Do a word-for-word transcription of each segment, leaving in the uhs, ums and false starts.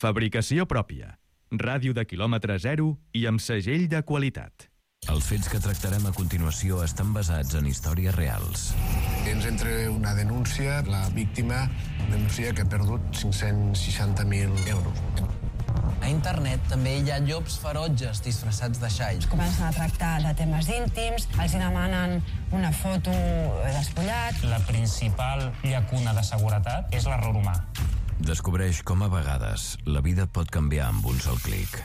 Fabricació pròpia. Ràdio de quilòmetre zero i amb segell de qualitat. Els fets que tractarem a continuació estan basats en històries reals. Ens entra una denúncia, la víctima denuncia que ha perdut cinc-cents seixanta mil euros. A internet també hi ha llops ferotges disfressats de xai. Comencen a tractar de temes íntims, els demanen una foto despullat. La principal llacuna de seguretat és l'error humà. Descobreix com a vegades la vida et pot canviar amb un sol clic.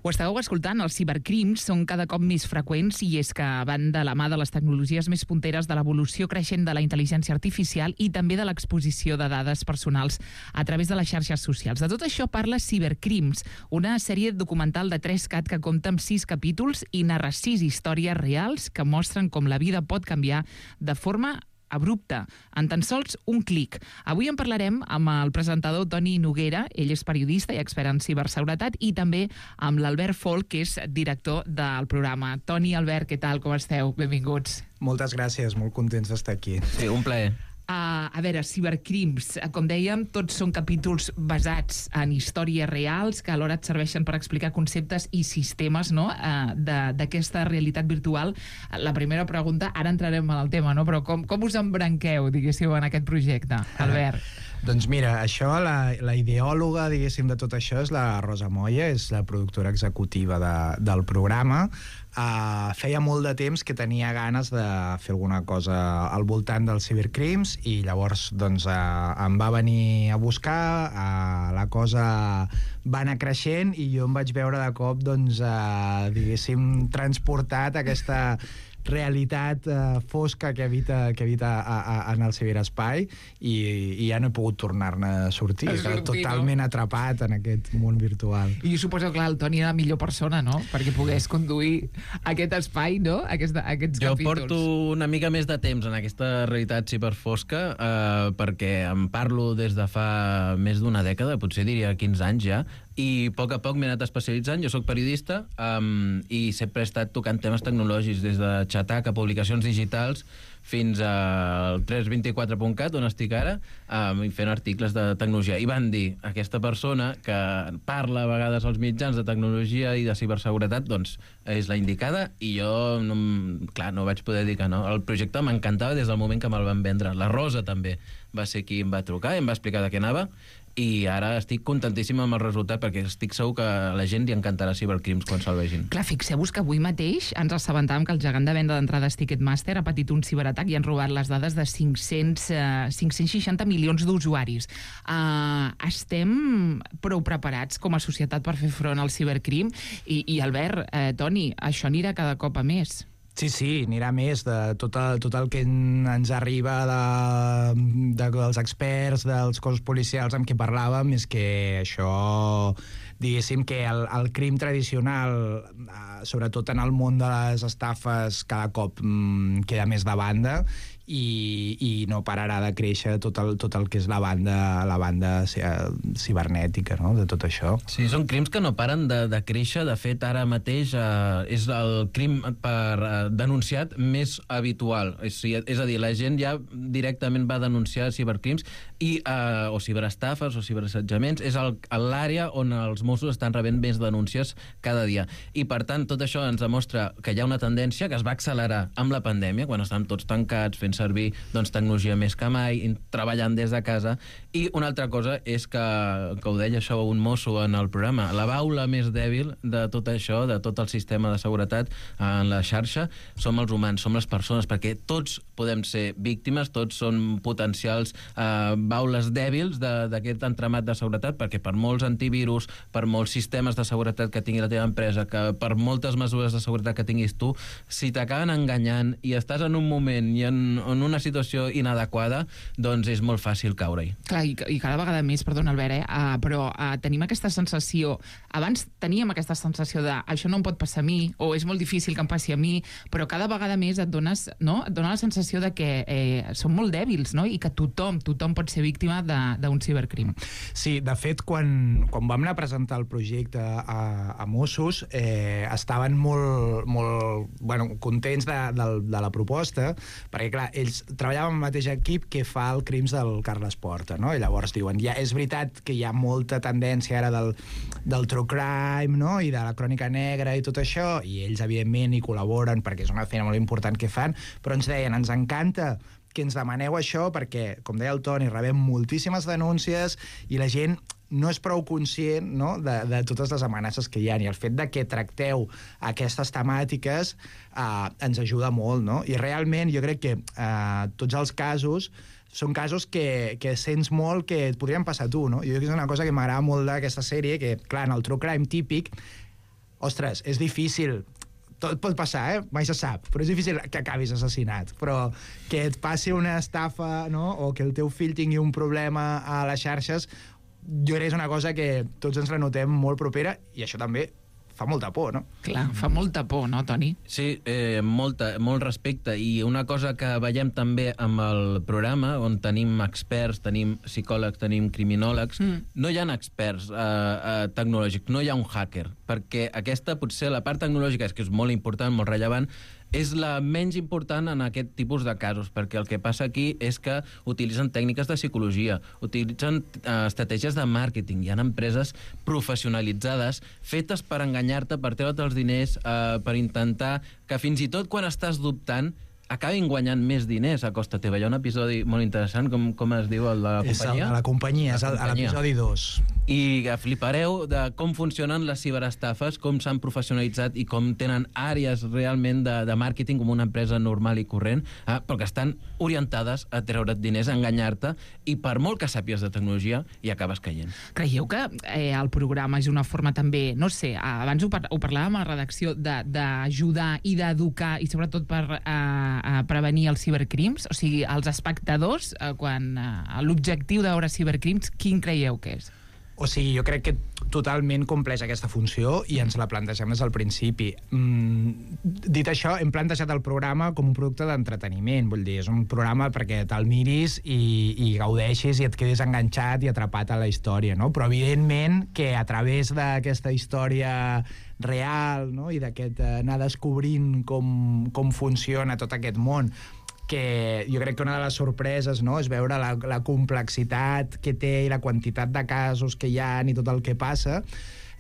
Ho estàveu escoltant, els cibercrims són cada cop més freqüents i és que van de la mà de les tecnologies més punteres, de l'evolució creixent de la intel·ligència artificial i també de l'exposició de dades personals a través de les xarxes socials. De tot això parla Cibercrims, una sèrie documental de tres cat que compta amb sis capítols i narra sis històries reals que mostren com la vida pot canviar de forma abrupta, en tan sols un clic. Avui en parlarem amb el presentador Toni Noguera, ell és periodista i expert en ciberseguretat, i també amb l'Albert Folk, que és director del programa. Toni, Albert, què tal? Com esteu? Benvinguts. Moltes gràcies, molt contents d'estar aquí. Sí, un plaer. Uh, a veure, Cibercrims, com dèiem, tots són capítols basats en històries reals que alhora et serveixen per explicar conceptes i sistemes, no?, uh, d'aquesta realitat virtual. La primera pregunta, ara entrarem en el tema, no?, però com, com us embranqueu, diguéssim, en aquest projecte, Albert? Doncs mira, això, la, la ideòloga, diguéssim, de tot això és la Rosa Moya, és la productora executiva de, del programa. Uh, feia molt de temps que tenia ganes de fer alguna cosa al voltant dels cibercrims i llavors doncs uh, em va venir a buscar, uh, la cosa va anar creixent i jo em vaig veure de cop doncs, uh, diguéssim, transportat a aquesta realitat uh, fosca que habita, que habita a, a, en el ciberespai i, i ja no he pogut tornar-ne a sortir, a sortir totalment no? atrapat en aquest món virtual. I jo suposo que clar, el Toni era la millor persona, no?, perquè pogués conduir aquest espai, no?, Aquesta, aquests jo capítols. Porto una mica més de temps en aquesta realitat ciberfosca eh, perquè em parlo des de fa més d'una dècada, potser diria quinze anys ja, i a poc a poc m'he anat especialitzant. Jo soc periodista um, i sempre he estat tocant temes tecnològics, des de xatar a publicacions digitals fins al tres vint quatre punt cat, on estic ara, um, fent articles de tecnologia. I van dir, aquesta persona que parla a vegades als mitjans de tecnologia i de ciberseguretat, doncs és la indicada, i jo, no, clar, no vaig poder dir que no. El projecte m'encantava des del moment que me'l van vendre. La Rosa també va ser qui em va trucar i em va explicar de què anava, i ara estic contentíssim amb el resultat perquè estic segur que a la gent li encantarà Cibercrims quan se'l vegin. Clar, fixeu-vos que avui mateix ens assabentàvem que el gegant de venda d'entrades Ticketmaster ha patit un ciberatac i han robat les dades de cinc-cents, cinc-cents seixanta milions d'usuaris. Uh, estem prou preparats com a societat per fer front al cibercrim? I, i Albert, eh, Toni, això anirà cada cop a més. Sí, sí, anirà més de tot el, tot el que ens arriba de, de, dels experts, dels cossos policials amb qui parlàvem, és que això, diguéssim que el, el crim tradicional, sobretot en el món de les estafes, cada cop mm, queda més de banda i, i no pararà de créixer tot el, tot el que és la banda, la banda cibernètica, no?, de tot això. Sí, són crims que no paren de, de créixer. De fet, ara mateix eh, és el crim per eh, denunciat més habitual. És, és a dir, la gent ja directament va denunciar cibercrims i, eh, o ciberestafes o ciberassetjaments. És l'àrea on els Mossos estan rebent més denúncies cada dia. I, per tant, tot això ens demostra que hi ha una tendència que es va accelerar amb la pandèmia, quan estem tots tancats, fent servir doncs, tecnologia més que mai, treballant des de casa. I una altra cosa és que, que ho deia això un mosso en el programa, la baula més dèbil de tot això, de tot el sistema de seguretat en la xarxa, som els humans, som les persones, perquè tots podem ser víctimes, tots són potencials eh, baules dèbils d'aquest entramat de seguretat, perquè per molts antivirus, per molts sistemes de seguretat que tingui la teva empresa, que per moltes mesures de seguretat que tinguis tu, si t'acaben enganyant i estàs en un moment i en, en una situació inadequada, doncs és molt fàcil caure-hi. Clar, i, i cada vegada més, perdona Albert, eh, uh, però uh, tenim aquesta sensació, abans teníem aquesta sensació de això no em pot passar a mi, o és molt difícil que em passi a mi, però cada vegada més et dones, no? et dona la sensació de que eh, som molt dèbils, no?, i que tothom, tothom pot ser víctima d'un cibercrim. Sí, de fet, quan, quan vam anar a presentar el projecte a, a Mossos, eh, estaven molt, molt bueno, contents de, de, de la proposta, perquè clar, ells treballaven amb el mateix equip que fa el Crims del Carles Porta, no? I llavors diuen, ja és veritat que hi ha molta tendència ara del, del true crime, no? I de la crònica negra i tot això, i ells, evidentment, hi col·laboren perquè és una feina molt important que fan, però ens deien, ens encanta que ens demaneu això perquè, com deia el Toni, rebem moltíssimes denúncies i la gent no és prou conscient, no?, de, de totes les amenaces que hi ha, i el fet de que tracteu aquestes temàtiques eh, ens ajuda molt, no? I realment jo crec que eh, tots els casos són casos que, que sents molt que et podrien passar a tu, no? Jo crec que és una cosa que m'agrada molt d'aquesta sèrie, que, clar, en el true crime típic, ostres, és difícil. Tot pot passar, eh? Mai se sap, però és difícil que acabis assassinat. Però que et passi una estafa, no?, o que el teu fill tingui un problema a les xarxes, jo crec que és una cosa que tots ens la notem molt propera, i això també fa molta por, no? Clar, fa molta por, no, Toni? Sí, eh, molta, molt respecte. I una cosa que veiem també amb el programa, on tenim experts, tenim psicòlegs, tenim criminòlegs, mm. no hi ha experts eh, eh, tecnològics, no hi ha un hacker, perquè aquesta, potser, la part tecnològica és que és molt important, molt rellevant, és la menys important en aquest tipus de casos, perquè el que passa aquí és que utilitzen tècniques de psicologia, utilitzen eh, estratègies de màrqueting, hi ha empreses professionalitzades fetes per enganyar-te, per treure't els diners, eh, per intentar que fins i tot quan estàs dubtant acabin guanyant més diners a costa teva. Hi ha un episodi molt interessant, com, com es diu, el de la companyia? És el de la companyia, és el, a l'episodi dos. I flipareu de com funcionen les ciberestafes, com s'han professionalitzat i com tenen àrees realment de, de màrqueting com una empresa normal i corrent, eh, però que estan orientades a treure't diners, a enganyar-te, i per molt que sàpies de tecnologia, hi acabes caient. Creieu que eh, el programa és una forma també, no sé, abans ho, par ho parlàvem a la redacció, d'ajudar i d'educar, i sobretot per eh, a prevenir els cibercrims? O sigui, els espectadors, eh, quan eh, l'objectiu de veure cibercrims, quin creieu que és? O sigui, jo crec que totalment compleix aquesta funció i ens la plantegem des del principi. Mm, dit això, hem plantejat el programa com un producte d'entreteniment, vull dir, és un programa perquè te'l miris i, i gaudeixis i et quedis enganxat i atrapat a la història, no? Però evidentment que a través d'aquesta història real, no?, i d'aquest eh, anar descobrint com, com funciona tot aquest món, que jo crec que una de les sorpreses, no?, és veure la, la complexitat que té i la quantitat de casos que hi ha i tot el que passa,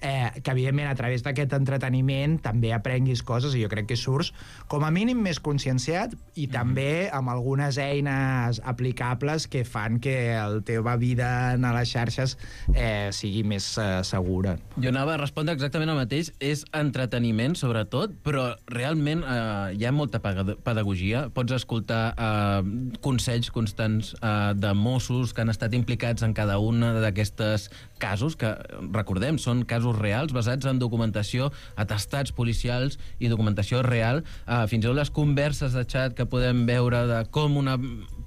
eh, que evidentment a través d'aquest entreteniment també aprenguis coses, i jo crec que surts com a mínim més conscienciat i mm. també amb algunes eines aplicables que fan que la teva vida a les xarxes eh, sigui més eh, segura. Jo anava a respondre exactament el mateix, és entreteniment sobretot, però realment eh, hi ha molta pedagogia, pots escoltar eh, consells constants eh, de Mossos que han estat implicats en cada una d'aquestes casos, que recordem, són casos reals basats en documentació, atestats policials i documentació real, uh, fins i tot les converses de xat que podem veure de com una,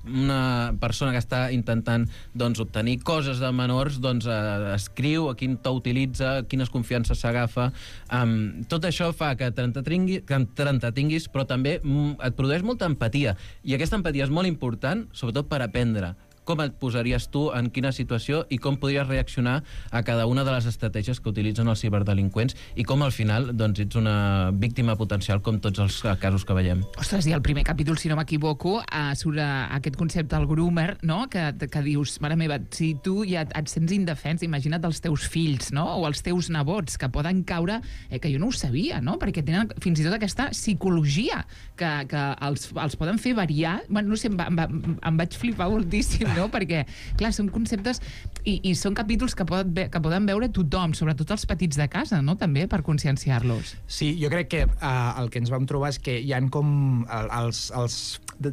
una persona que està intentant doncs, obtenir coses de menors doncs, uh, escriu, a quin to utilitza, quines confiances s'agafa. Um, tot això fa que t'entretinguis, però també mm, et produeix molta empatia, i aquesta empatia és molt important, sobretot per aprendre com et posaries tu en quina situació i com podries reaccionar a cada una de les estratègies que utilitzen els ciberdelinqüents, i com al final doncs, ets una víctima potencial com tots els casos que veiem. Ostres, i el primer capítol, si no m'equivoco, uh, surt uh, aquest concepte del groomer, no?, que, que dius, mare meva, si tu ja et sents indefens, imagina't els teus fills, no?, o els teus nebots, que poden caure, eh, que jo no ho sabia, no?, perquè tenen fins i tot aquesta psicologia que, que els, els poden fer variar. Bueno, no sé, em, va, em, va, em vaig flipar moltíssim, no?, perquè, clar, són conceptes i, i són capítols que poden, que poden veure tothom, sobretot els petits de casa, no?, també, per conscienciar-los. Sí, jo crec que uh, el que ens vam trobar és que hi ha com el, els, els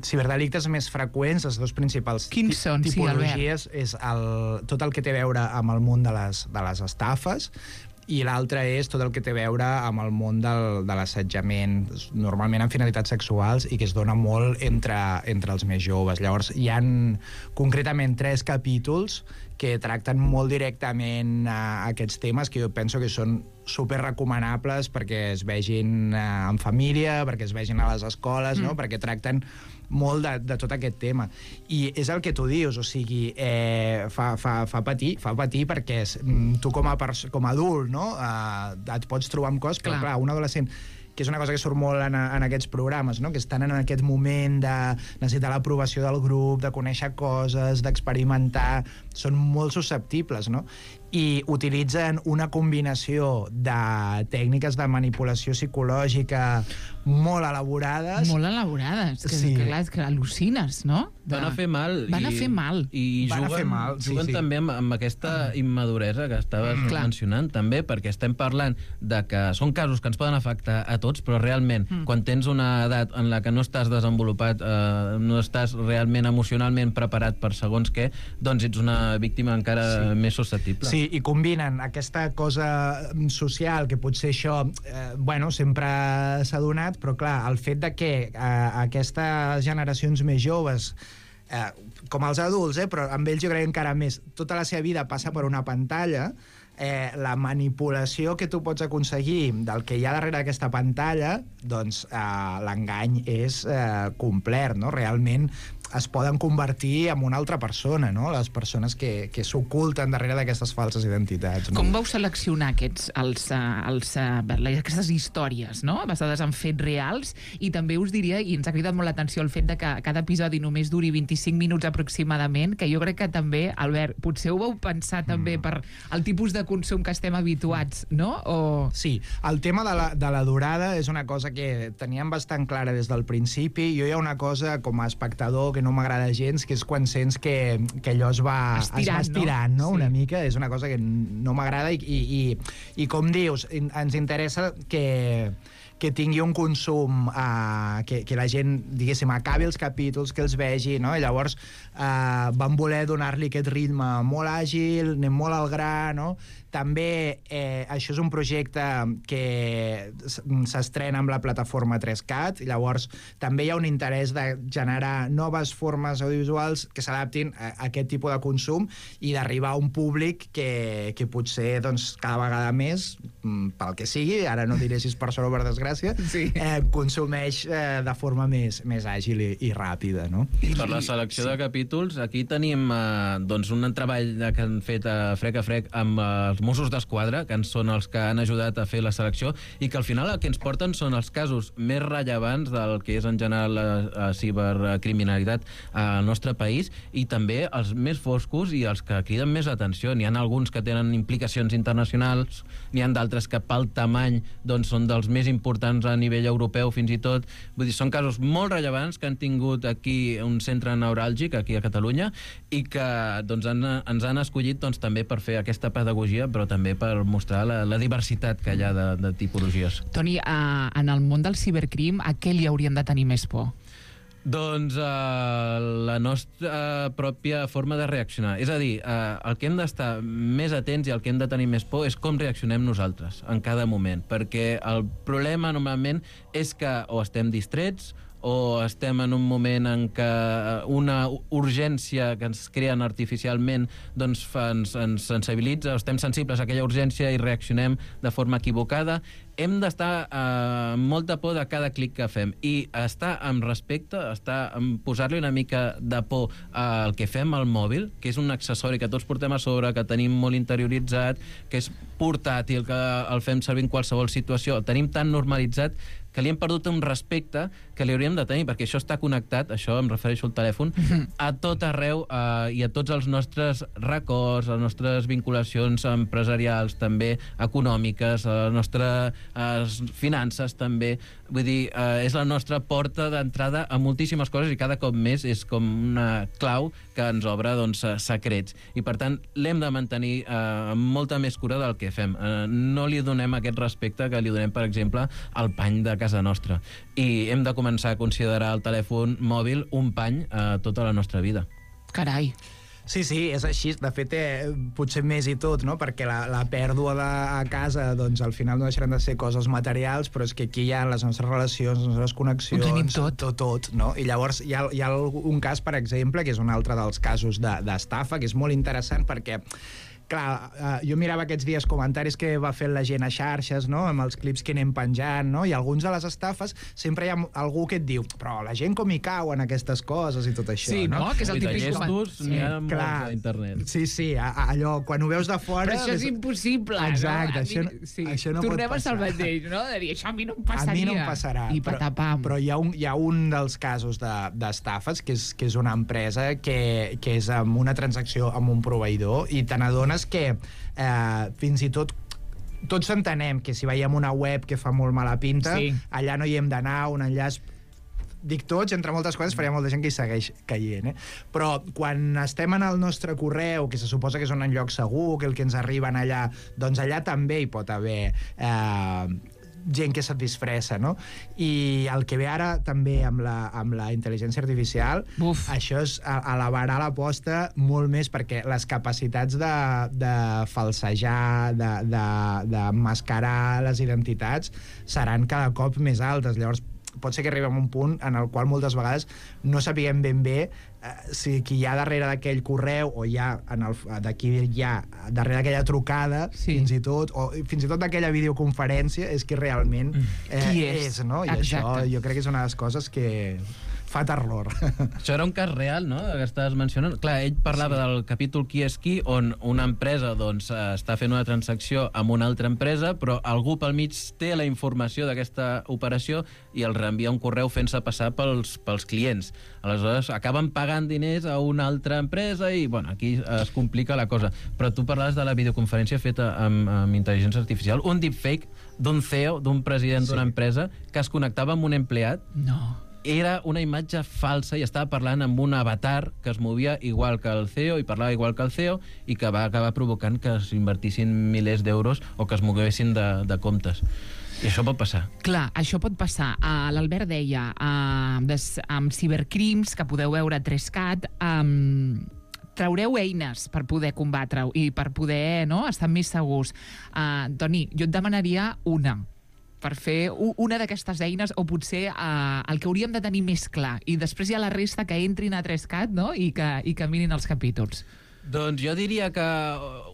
ciberdelictes més freqüents, els dos principals Quins són, tipologies, sí, és el, tot el que té a veure amb el món de les, de les estafes, i l'altre és tot el que té a veure amb el món del, de l'assetjament, normalment amb finalitats sexuals, i que es dona molt entre, entre els més joves. Llavors, hi han concretament tres capítols que tracten molt directament a aquests temes, que jo penso que són super recomanables perquè es vegin eh, en família, perquè es vegin a les escoles, mm. no?, perquè tracten molt de, de tot aquest tema. I és el que tu dius, o sigui, eh, fa, fa, fa patir, fa patir perquè és, tu com a, com a adult, no?, eh, et pots trobar amb coses, però clar, clar un adolescent que és una cosa que surt molt en, en aquests programes, no? Que estan en aquest moment de necessitar l'aprovació del grup, de conèixer coses, d'experimentar, són molt susceptibles, no? I utilitzen una combinació de tècniques de manipulació psicològica molt elaborades. Molt elaborades, que, Sí. que, clar, és que al·lucines, no? De... Van a fer mal. Van a i, fer mal. I Van a juguen, fer mal, sí, juguen sí. també amb, amb aquesta immaduresa que estaves Mm. Clar. mencionant, també, perquè estem parlant de que són casos que ens poden afectar a tots, però realment, mm. quan tens una edat en la que no estàs desenvolupat, eh, no estàs realment emocionalment preparat per segons què, doncs ets una víctima encara Sí. més susceptible. Sí, i combinen aquesta cosa social, que potser això, eh, bueno, sempre s'ha donat, però clar, el fet de que eh, aquestes generacions més joves, eh, com els adults, eh, però amb ells jo crec encara més, tota la seva vida passa per una pantalla, eh, la manipulació que tu pots aconseguir del que hi ha darrere d'aquesta pantalla, doncs eh, l'engany és eh, complet, no? Realment es poden convertir en una altra persona, no? Les persones que, que s'oculten darrere d'aquestes falses identitats. No? Com vau seleccionar aquests, els, uh, els, uh, aquestes històries, no? Basades en fets reals, i també us diria, i ens ha cridat molt l'atenció el fet de que cada episodi només duri vint-i-cinc minuts aproximadament, que jo crec que també, Albert, potser ho vau pensar també mm. per el tipus de consum que estem habituats, no? O... Sí, el tema de la, de la durada és una cosa que teníem bastant clara des del principi. Jo hi ha una cosa, com a espectador, que no m'agrada gens, que és quan sents que, que allò es va estirant, es va estirant no? no? Sí. Una mica, és una cosa que no m'agrada i, i, i, i com dius, ens interessa que que tingui un consum, eh, que, que la gent, diguéssim, acabi els capítols, que els vegi, no? I llavors eh, van voler donar-li aquest ritme molt àgil, anem molt al gra, no? També eh, això és un projecte que s'estrena amb la plataforma tres cat, i llavors també hi ha un interès de generar noves formes audiovisuals que s'adaptin a, a aquest tipus de consum i d'arribar a un públic que, que potser doncs, cada vegada més, pel que sigui, ara no diré si és per sort o per desgràcia, sí. eh, consumeix eh, de forma més, més àgil i, i ràpida, no? Per la selecció sí. de capítols, aquí tenim eh, doncs un treball que han fet a frec a frec amb eh, els Mossos d'Esquadra, que són els que han ajudat a fer la selecció, i que al final el que ens porten són els casos més rellevants del que és en general la, la cibercriminalitat al nostre país, i també els més foscos i els que criden més atenció. N'hi ha alguns que tenen implicacions internacionals, n'hi ha d'altres que pel tamany doncs, són dels més importants a nivell europeu fins i tot. Vull dir, són casos molt rellevants que han tingut aquí un centre neuràlgic aquí a Catalunya i que doncs, han, ens han escollit doncs, també per fer aquesta pedagogia, però també per mostrar la, la diversitat que hi ha de, de tipologies. Toni, uh, en el món del cibercrim, a què li hauríem de tenir més por? Doncs uh, la nostra pròpia forma de reaccionar. És a dir, uh, el que hem d'estar més atents i el que hem de tenir més por és com reaccionem nosaltres en cada moment, perquè el problema normalment és que o estem distrets o estem en un moment en què una urgència que ens creen artificialment doncs fa, ens, ens sensibilitza, o estem sensibles a aquella urgència i reaccionem de forma equivocada. Hem d'estar eh, amb molta por de cada clic que fem i estar amb respecte, estar amb posar-li una mica de por al que fem al mòbil, que és un accessori que tots portem a sobre, que tenim molt interioritzat, que és portàtil, que el fem servir en qualsevol situació, el tenim tan normalitzat que li hem perdut un respecte que li hauríem de tenir, perquè això està connectat, això em refereixo al telèfon, a tot arreu eh, i a tots els nostres records, a les nostres vinculacions empresarials, també econòmiques, a les nostres eh, finances, també. Vull dir, eh, és la nostra porta d'entrada a moltíssimes coses i cada cop més és com una clau que ens obre doncs, secrets. I, per tant, l'hem de mantenir eh, amb molta més cura del que fem. Eh, no li donem aquest respecte que li donem, per exemple, al pany de casa nostra. I hem de començar a considerar el telèfon mòbil un pany a tota la nostra vida. Carai. Sí, sí, és així. De fet, eh, potser més i tot, no? Perquè la, la pèrdua de, a casa, doncs, al final no deixaran de ser coses materials, però és que aquí hi ha les nostres relacions, les nostres connexions... Ho tenim tot. Tot, tot, no? I llavors hi ha, hi ha un cas, per exemple, que és un altre dels casos d'estafa, de, que és molt interessant perquè clar, uh, jo mirava aquests dies comentaris que va fer la gent a xarxes, no?, amb els clips que anem penjant, no?, i alguns de les estafes sempre hi ha algú que et diu però la gent com hi cau en aquestes coses i tot això, sí, no? no? Que és el típic comentari. Sí, n'hi ha molts a internet. Sí, sí, a, a, allò, quan ho veus de fora... Però això és impossible, exacte, no? això, mi, sí. això no Tornem pot passar. a ser el mateix, no? De dir, això a mi no em passaria. A mi no em passarà. I patapam. Però, però hi, ha un, hi ha un dels casos d'estafes, de, que, és, que és una empresa que, que és amb una transacció amb un proveïdor i te n'adones que eh, fins i tot tots entenem que si veiem una web que fa molt mala pinta, sí. allà no hi hem d'anar, un enllaç... Dic tots, entre moltes coses, perquè hi ha molta gent que hi segueix caient, eh? Però quan estem en el nostre correu, que se suposa que és un lloc segur, que el que ens arriben allà, doncs allà també hi pot haver... Eh, gent que se't disfressa, no? I el que ve ara també amb la, amb la intel·ligència artificial, Uf. això és elevarà l'aposta molt més perquè les capacitats de, de falsejar, de, de, de mascarar les identitats seran cada cop més altes. Llavors pot ser que arribem a un punt en el qual moltes vegades no sapiguem ben bé eh, si qui hi ha darrere d'aquell correu o hi ha d'aquí hi ha darrere d'aquella trucada, sí. fins i tot o fins i tot d'aquella videoconferència és qui realment eh, qui és, és no? I Exacte. Això jo crec que és una de les coses que fa terror. Això era un cas real, no?, que estaves mencionant. Clar, ell parlava sí. del capítol Qui és qui, on una empresa doncs, està fent una transacció amb una altra empresa, però algú pel mig té la informació d'aquesta operació i el reenvia un correu fent-se passar pels, pels clients. Aleshores, acaben pagant diners a una altra empresa i, bueno, aquí es complica la cosa. Però tu parlaves de la videoconferència feta amb, amb intel·ligència artificial, un deepfake d'un C E O, d'un president sí. d'una empresa, que es connectava amb un empleat. No. Era una imatge falsa i estava parlant amb un avatar que es movia igual que el C E O i parlava igual que el C E O i que va acabar provocant que s'invertissin milers d'euros o que es moguessin de, de comptes. I això pot passar. Clar, això pot passar. Uh, L'Albert deia, uh, des, amb cibercrims, que podeu veure a tres cat, um, traureu eines per poder combatre-ho i per poder no, estar més segurs. Uh, Toni, jo et demanaria una per fer una d'aquestes eines, o potser uh, el que hauríem de tenir més clar, i després hi ha la resta que entrin a tres cat, no?, i que, i que mirin els capítols. Doncs jo diria que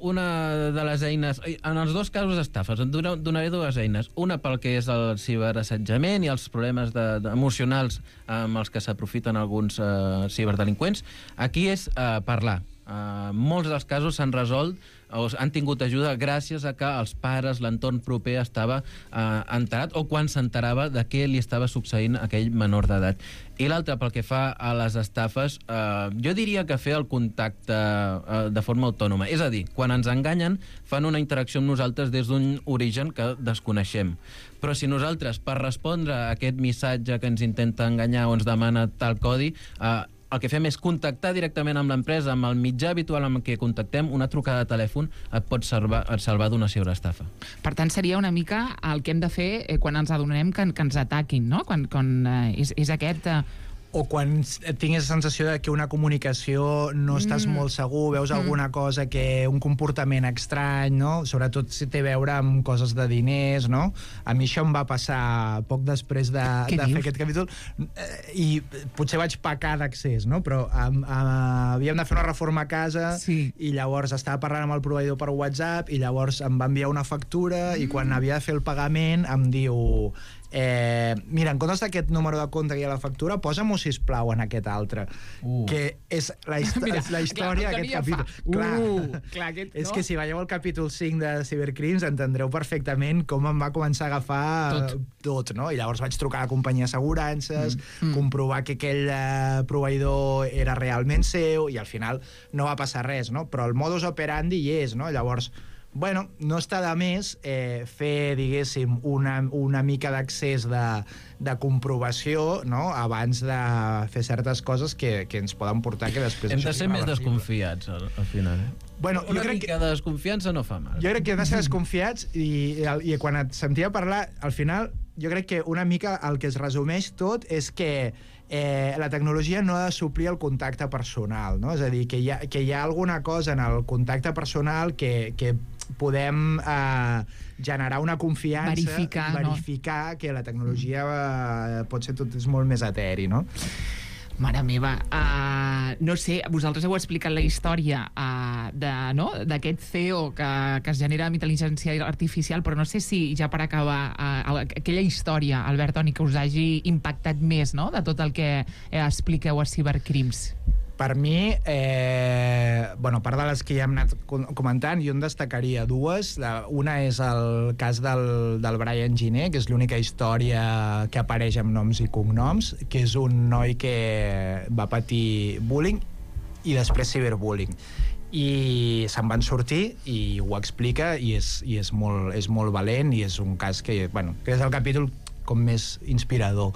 una de les eines... En els dos casos d'estafes, en donaré dues eines. Una pel que és el ciberassetjament i els problemes de, de, emocionals amb els que s'aprofiten alguns uh, ciberdelinqüents. Aquí és uh, parlar. Uh, molts dels casos s'han resolt o han tingut ajuda gràcies a que els pares, l'entorn proper estava uh, enterat o quan s'enterava de què li estava succeint a aquell menor d'edat. I l'altre, pel que fa a les estafes, uh, jo diria que fer el contacte uh, de forma autònoma. És a dir, quan ens enganyen, fan una interacció amb nosaltres des d'un origen que desconeixem. Però si nosaltres, per respondre a aquest missatge que ens intenta enganyar o ens demana tal codi, uh, el que fem és contactar directament amb l'empresa, amb el mitjà habitual amb què contactem, una trucada de telèfon et pot salvar, et salvar d'una ciberestafa. Per tant, seria una mica el que hem de fer eh, quan ens adonem que, que ens ataquin, no? Quan, quan eh, és, és aquest... Eh... O quan tingues la sensació de que una comunicació no estàs mm. molt segur, veus mm. alguna cosa que... un comportament estrany, no? Sobretot si té a veure amb coses de diners, no? A mi això em va passar poc després de, de fer aquest capítol i potser vaig pecar d'accés, no? Però um, uh, havíem de fer una reforma a casa sí. i llavors estava parlant amb el proveïdor per WhatsApp i llavors em va enviar una factura mm. i quan havia de fer el pagament em diu... Eh, mira, en comptes d'aquest número de compte que hi ha a la factura, posa-m'ho, sisplau, en aquest altre. Uh. Que és la, mira, la història d'aquest capítol. Uh, clar, clar aquest, és no? que si veieu el capítol cinc de Cibercrims entendreu perfectament com em va començar a agafar tot, tot no? I llavors vaig trucar a la companyia d'assegurances, mm. comprovar que aquell eh, proveïdor era realment seu i al final no va passar res, no? Però el modus operandi hi és, no? Llavors... Bueno, no està de més eh, fer, diguéssim, una, una mica d'accés de, de comprovació, no?, abans de fer certes coses que, que ens poden portar que després... Hem de ser més desconfiats, al, al final. Eh? Bueno, una jo crec mica que... de desconfiança no fa mal. Jo crec que hem de ser desconfiats i, i, i quan et sentia parlar, al final, jo crec que una mica el que es resumeix tot és que Eh, la tecnologia no ha de suplir el contacte personal, no? És a dir, que hi ha, que hi ha alguna cosa en el contacte personal que, que podem eh, generar una confiança, verificar, verificar no? que la tecnologia eh, pot ser tot és molt més eteri, no? Mare meva, uh, no sé, vosaltres heu explicat la història uh, de, no? d'aquest C E O que, que es genera amb intel·ligència artificial, però no sé si ja per acabar uh, aquella història, Albert, Toni, que us hagi impactat més, no?, de tot el que eh, expliqueu a Cybercrims. Per mi, eh, bueno, a part de les que ja hem anat comentant, jo en destacaria dues. La, una és el cas del, del Brian Giner, que és l'única història que apareix amb noms i cognoms, que és un noi que va patir bullying i després ciberbullying. I se'n van sortir i ho explica i és, i és, molt, és molt valent i és un cas que, bueno, que és el capítol com més inspirador.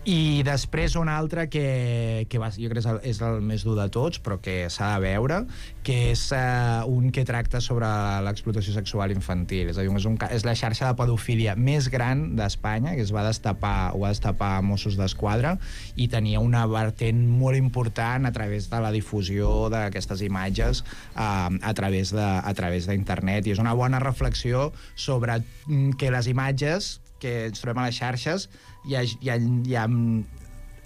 I després un altre que, que va, jo crec que és el més dur de tots, però que s'ha de veure, que és uh, un que tracta sobre l'explotació sexual infantil. És a dir, és, un, és la xarxa de pedofília més gran d'Espanya, que es va destapar, ho va destapar a Mossos d'Esquadra, i tenia una vertent molt important a través de la difusió d'aquestes imatges uh, a través de, a través d'internet. I és una bona reflexió sobre que les imatges que ens trobem a les xarxes hi ha, hi ha, hi ha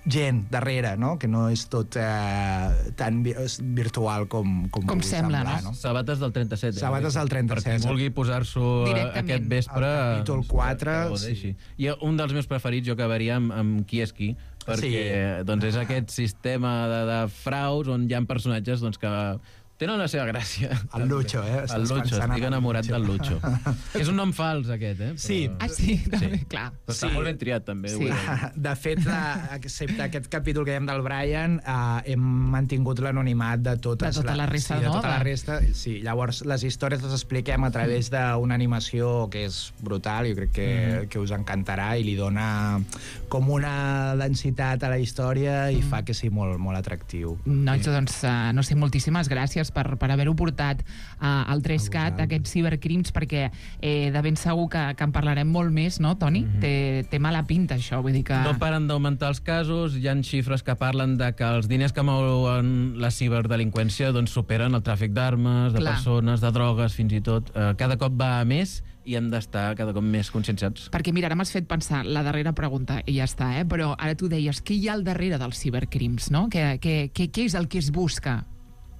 gent darrere, no?, que no és tot eh, tan virtual com, com, com sembla, semblar, no? no? Sabates del trenta-set. Sabates del trenta-set. Per qui vulgui posar-s'ho aquest vespre... El capítol quatre... Sí. I un dels meus preferits jo acabaria amb, amb Qui és qui, perquè sí. doncs és aquest sistema de, de fraus on hi ha personatges doncs, que tenen la seva gràcia. El Lucho, eh? El Lucho, estic enamorat del Lucho. És un nom fals, aquest, eh? Però... Sí. Ah, sí, també, sí. clar. Però està sí. molt ben triat, també. Sí. De fet, la, excepte aquest capítol que dèiem del Brian, eh, hem mantingut l'anonimat de totes... De tota la resta, sí, de no? tota la resta, sí. Llavors, les històries les expliquem a través d'una animació que és brutal, jo crec que, mm. que us encantarà i li dona com una densitat a la història i mm. fa que sigui molt, molt atractiu. Nois, doncs, uh, no sé, moltíssimes gràcies per, per haver-ho portat uh, al tres cat, aquests cibercrims, perquè eh, de ben segur que, que en parlarem molt més, no, Toni? Mm-hmm. té, té mala pinta, això, vull dir que... No paren d'augmentar els casos, hi ha xifres que parlen de que els diners que mouen la ciberdelinqüència doncs, superen el tràfic d'armes, de Clar. persones, de drogues, fins i tot. Eh, cada cop va a més i hem d'estar cada cop més conscienciats. Perquè, mira, ara m'has fet pensar la darrera pregunta, i ja està, eh? Però ara tu deies, què hi ha al darrere dels cibercrims, no? Què, què, què, què és el que es busca?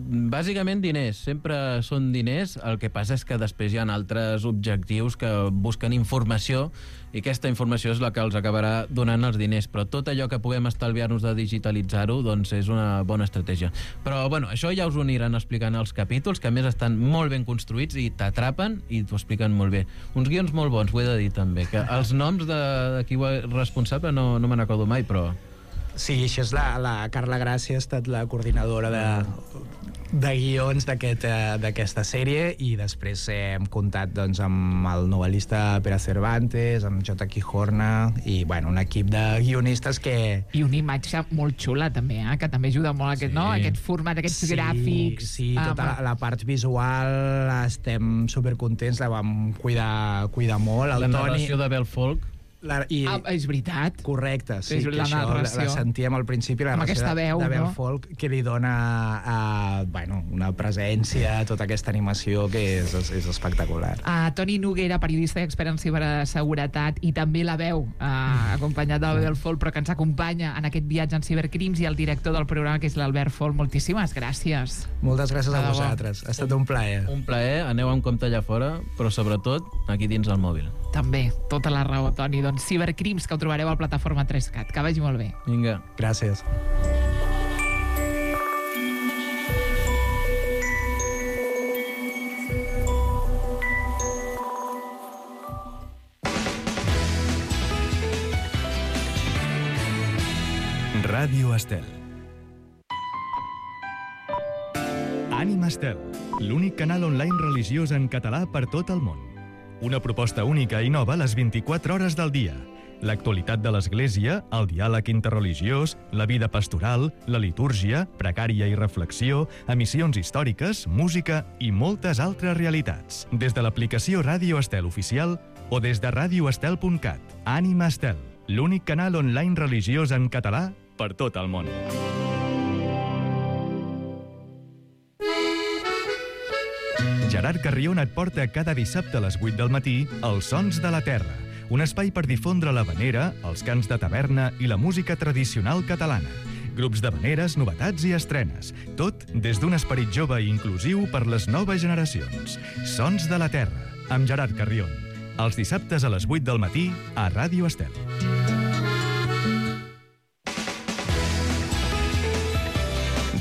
Bàsicament diners, sempre són diners, el que passa és que després hi ha altres objectius que busquen informació i aquesta informació és la que els acabarà donant els diners, però tot allò que puguem estalviar-nos de digitalitzar-ho doncs és una bona estratègia. Però bueno, això ja us ho aniran explicant els capítols, que a més estan molt ben construïts i t'atrapen i t'ho expliquen molt bé. Uns guions molt bons, ho he de dir també, que els noms de, de qui ho és responsable no, no me n'acordo mai, però... Sí, això és la, la Carla Gràcia, ha estat la coordinadora de, de guions d'aquesta aquest, sèrie, i després eh, hem comptat doncs, amb el novel·lista Pere Cervantes, amb J. Quijorna, i bueno, un equip de guionistes que... I una imatge molt xula, també, eh? Que també ajuda molt aquest, sí. no? aquest format, aquests sí, gràfics. Sí, tota la, la part visual estem supercontents, la vam cuidar, cuidar molt. El la Toni... narració de Bel Folk. La, i, ah, és veritat. Correcte, sí, és que la això la, la sentíem al principi, la amb aquesta veu, de, de Bel no? Folk, que li dona uh, bueno, una presència a tota aquesta animació que és, és, és espectacular. Uh, Toni Noguera, periodista i expert en ciberseguretat, i també la veu, uh, acompanyat del Bel Folk, però que ens acompanya en aquest viatge en cibercrims, i el director del programa, que és l'Albert Folk. Moltíssimes gràcies. Moltes gràcies a vosaltres. Ha estat un plaer. Un plaer, aneu amb compte allà fora, però sobretot aquí dins el mòbil. També, tota la raó, Toni. Doncs Cibercrims, que ho trobareu a la plataforma tres cat. Que vagi molt bé. Vinga. Gràcies. Ràdio Estel. Ànima Estel, l'únic canal online religiós en català per tot el món. Una proposta única i nova les vint-i-quatre hores del dia. L'actualitat de l'Església, el diàleg interreligiós, la vida pastoral, la litúrgia, precària i reflexió, emissions històriques, música i moltes altres realitats. Des de l'aplicació Ràdio Estel oficial o des de radioestel punt cat. Ànima Estel, l'únic canal online religiós en català per tot el món. Gerard Carrion et porta cada dissabte a les vuit del matí Els Sons de la Terra, un espai per difondre l'havanera, els cants de taverna i la música tradicional catalana. grups d'havaneres, novetats i estrenes. Tot des d'un esperit jove i inclusiu per les noves generacions. Sons de la Terra, amb Gerard Carrion. Els dissabtes a les vuit del matí a Ràdio Estel.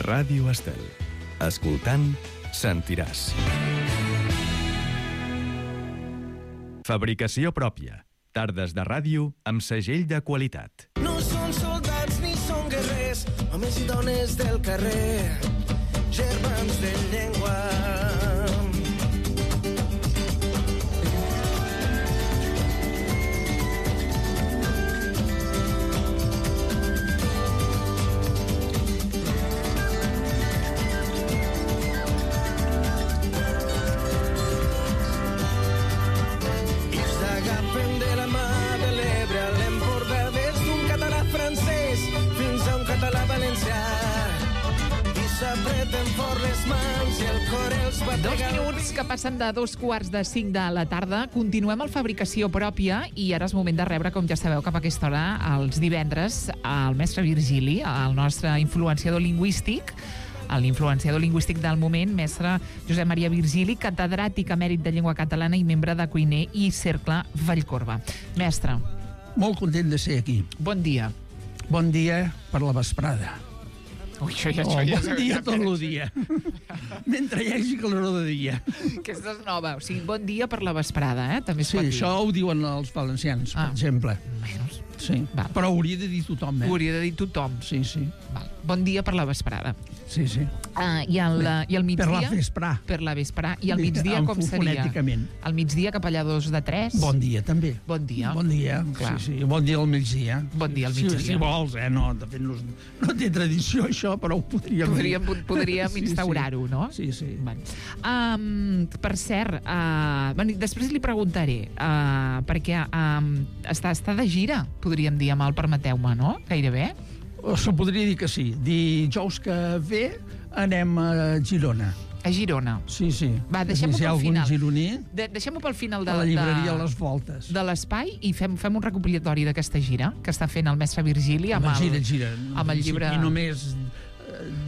Ràdio Estel. Escoltant, sentiràs. Fabricació pròpia. Tardes de ràdio amb segell de qualitat. No són soldats ni són guerrers, homes i dones del carrer, germans de llengua. Dos minuts que passen de dos quarts de cinc de la tarda. Continuem el Fabricació Pròpia i ara és moment de rebre, com ja sabeu, cap a aquesta hora, els divendres, el mestre Virgili, el nostre influenciador lingüístic, l'influenciador lingüístic del moment, mestre Josep Maria Virgili, catedràtic emèrit de llengua catalana i membre de Cuiner i Cercle Vallcorba. Mestre. Molt content de ser aquí. Bon dia. Bon dia per la vesprada. Ui, això ja, oh, això ja, bon dia tot el dia. Mentre hi hagi calor de dia. Aquesta és nova. O sigui, bon dia per la vesprada, eh? També es sí, pot dir. Això ho diuen els valencians, ah. per exemple. Menys. Sí. Però hauria de dir tothom, eh? Ho hauria de dir tothom. Sí, sí. Val. Bon dia per la vesprada. Sí, sí. Uh, i, el, I el migdia... Per la vesprà. Per la vesprà. I el migdia com seria? Fonèticament. El migdia cap allà dos de tres? Bon dia, també. Bon dia. Bon dia, clar. Sí, sí. Bon dia al migdia. Bon dia al migdia. Si, si vols, eh? No, de fet, no, no té tradició, això, però ho podríem... Podríem, podríem sí, instaurar-ho, sí. no? Sí, sí. Um, per cert, uh, bueno, després li preguntaré, uh, perquè um, està, està de gira, podríem dir, amb el Permeteu-me, no? Gairebé. Se podria dir que sí. Dijous que ve anem a Girona. A Girona. Sí, sí. Va, deixem-ho si pel final. Gironí, de, deixem-ho pel final de, a la llibreria de, Les Voltes. De l'espai i fem, fem un recopilatori d'aquesta gira que està fent el mestre Virgili amb, gira, el, gira. amb el llibre... I només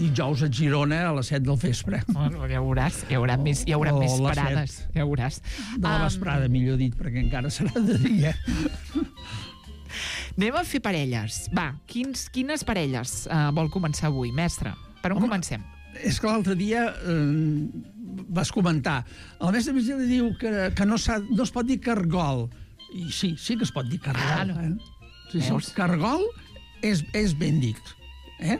dijous a Girona a les set del vespre. Bueno, ja veuràs, hi haurà més, hi haurà més parades. Ja veuràs. De la vesprada, um... millor dit, perquè encara serà de dia. Anem a fer parelles. Va, quins, quines parelles uh, vol començar avui, mestre? Per on Home, comencem? És que l'altre dia eh, vas comentar. El mestre Virgili diu que, que no, no es pot dir cargol. I sí, sí que es pot dir cargol. Ah, no. eh? sí, sí. Cargol és, és ben dit. Eh?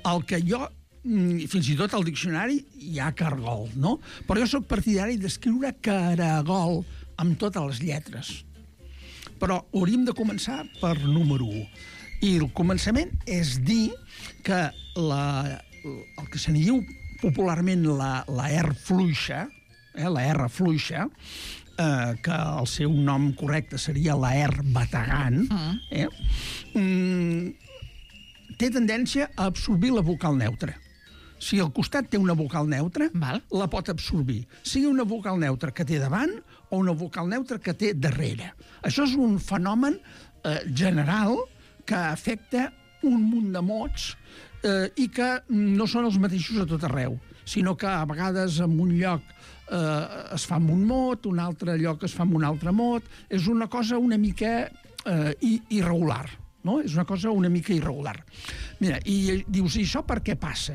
El que jo, fins i tot al diccionari hi ha cargol, no? Però jo sóc partidari d'escriure caragol amb totes les lletres. Però hauríem de començar per número un. I el començament és dir que la, el que se n'hi diu popularment la, la R fluixa, eh, la R fluixa, eh, que el seu nom correcte seria la R bategant, eh, mm, té tendència a absorbir la vocal neutra. Si al costat té una vocal neutra, Val. la pot absorbir. Sigui una vocal neutra que té davant o una vocal neutra que té darrere. Això és un fenomen eh, general que afecta un munt de mots eh, i que no són els mateixos a tot arreu, sinó que a vegades en un lloc eh, es fa amb un mot, un altre lloc es fa amb un altre mot. És una cosa una mica eh, irregular. No? És una cosa una mica irregular. Mira, i dius, i això per què passa?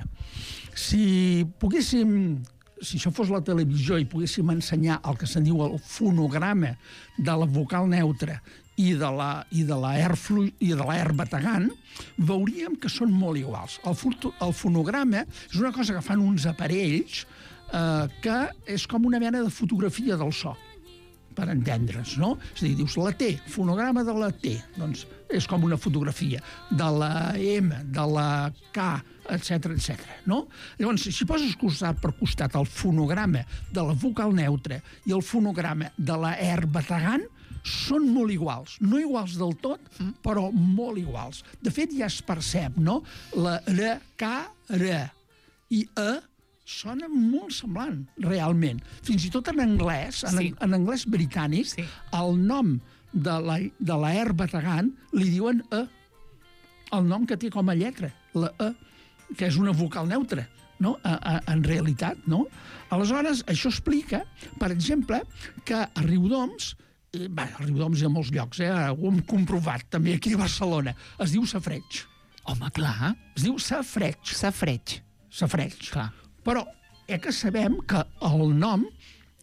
Si poguéssim, si això fos la televisió i poguéssim ensenyar el que se'n diu el fonograma de la vocal neutra i de la, i de la R flu, i de la R bategant, veuríem que són molt iguals. El, el fonograma és una cosa que fan uns aparells eh, que és com una mena de fotografia del so, per entendre's, no? És a dir, dius la T, fonograma de la T, doncs és com una fotografia de la M, de la K, etcètera, etcètera, no? Llavors, si poses costat per costat el fonograma de la vocal neutra i el fonograma de la R bategant, són molt iguals. No iguals del tot, però molt iguals. De fet, ja es percep, no? La R, K, R i E sona molt semblant, realment. Fins i tot en anglès, en, sí. en anglès britànic, sí. el nom de la, de la R bategant li diuen E, el nom que té com a lletra. la E, que és una vocal neutra, no? A, a, en realitat, no? Aleshores, això explica, per exemple, que a Riudoms, eh, bé, a Riudoms hi ha molts llocs, eh? Ho hem comprovat, també aquí a Barcelona, es diu safareig. Home, clar. Es diu safareig. Safareig. Safareig. Clar. Però eh que sabem que el nom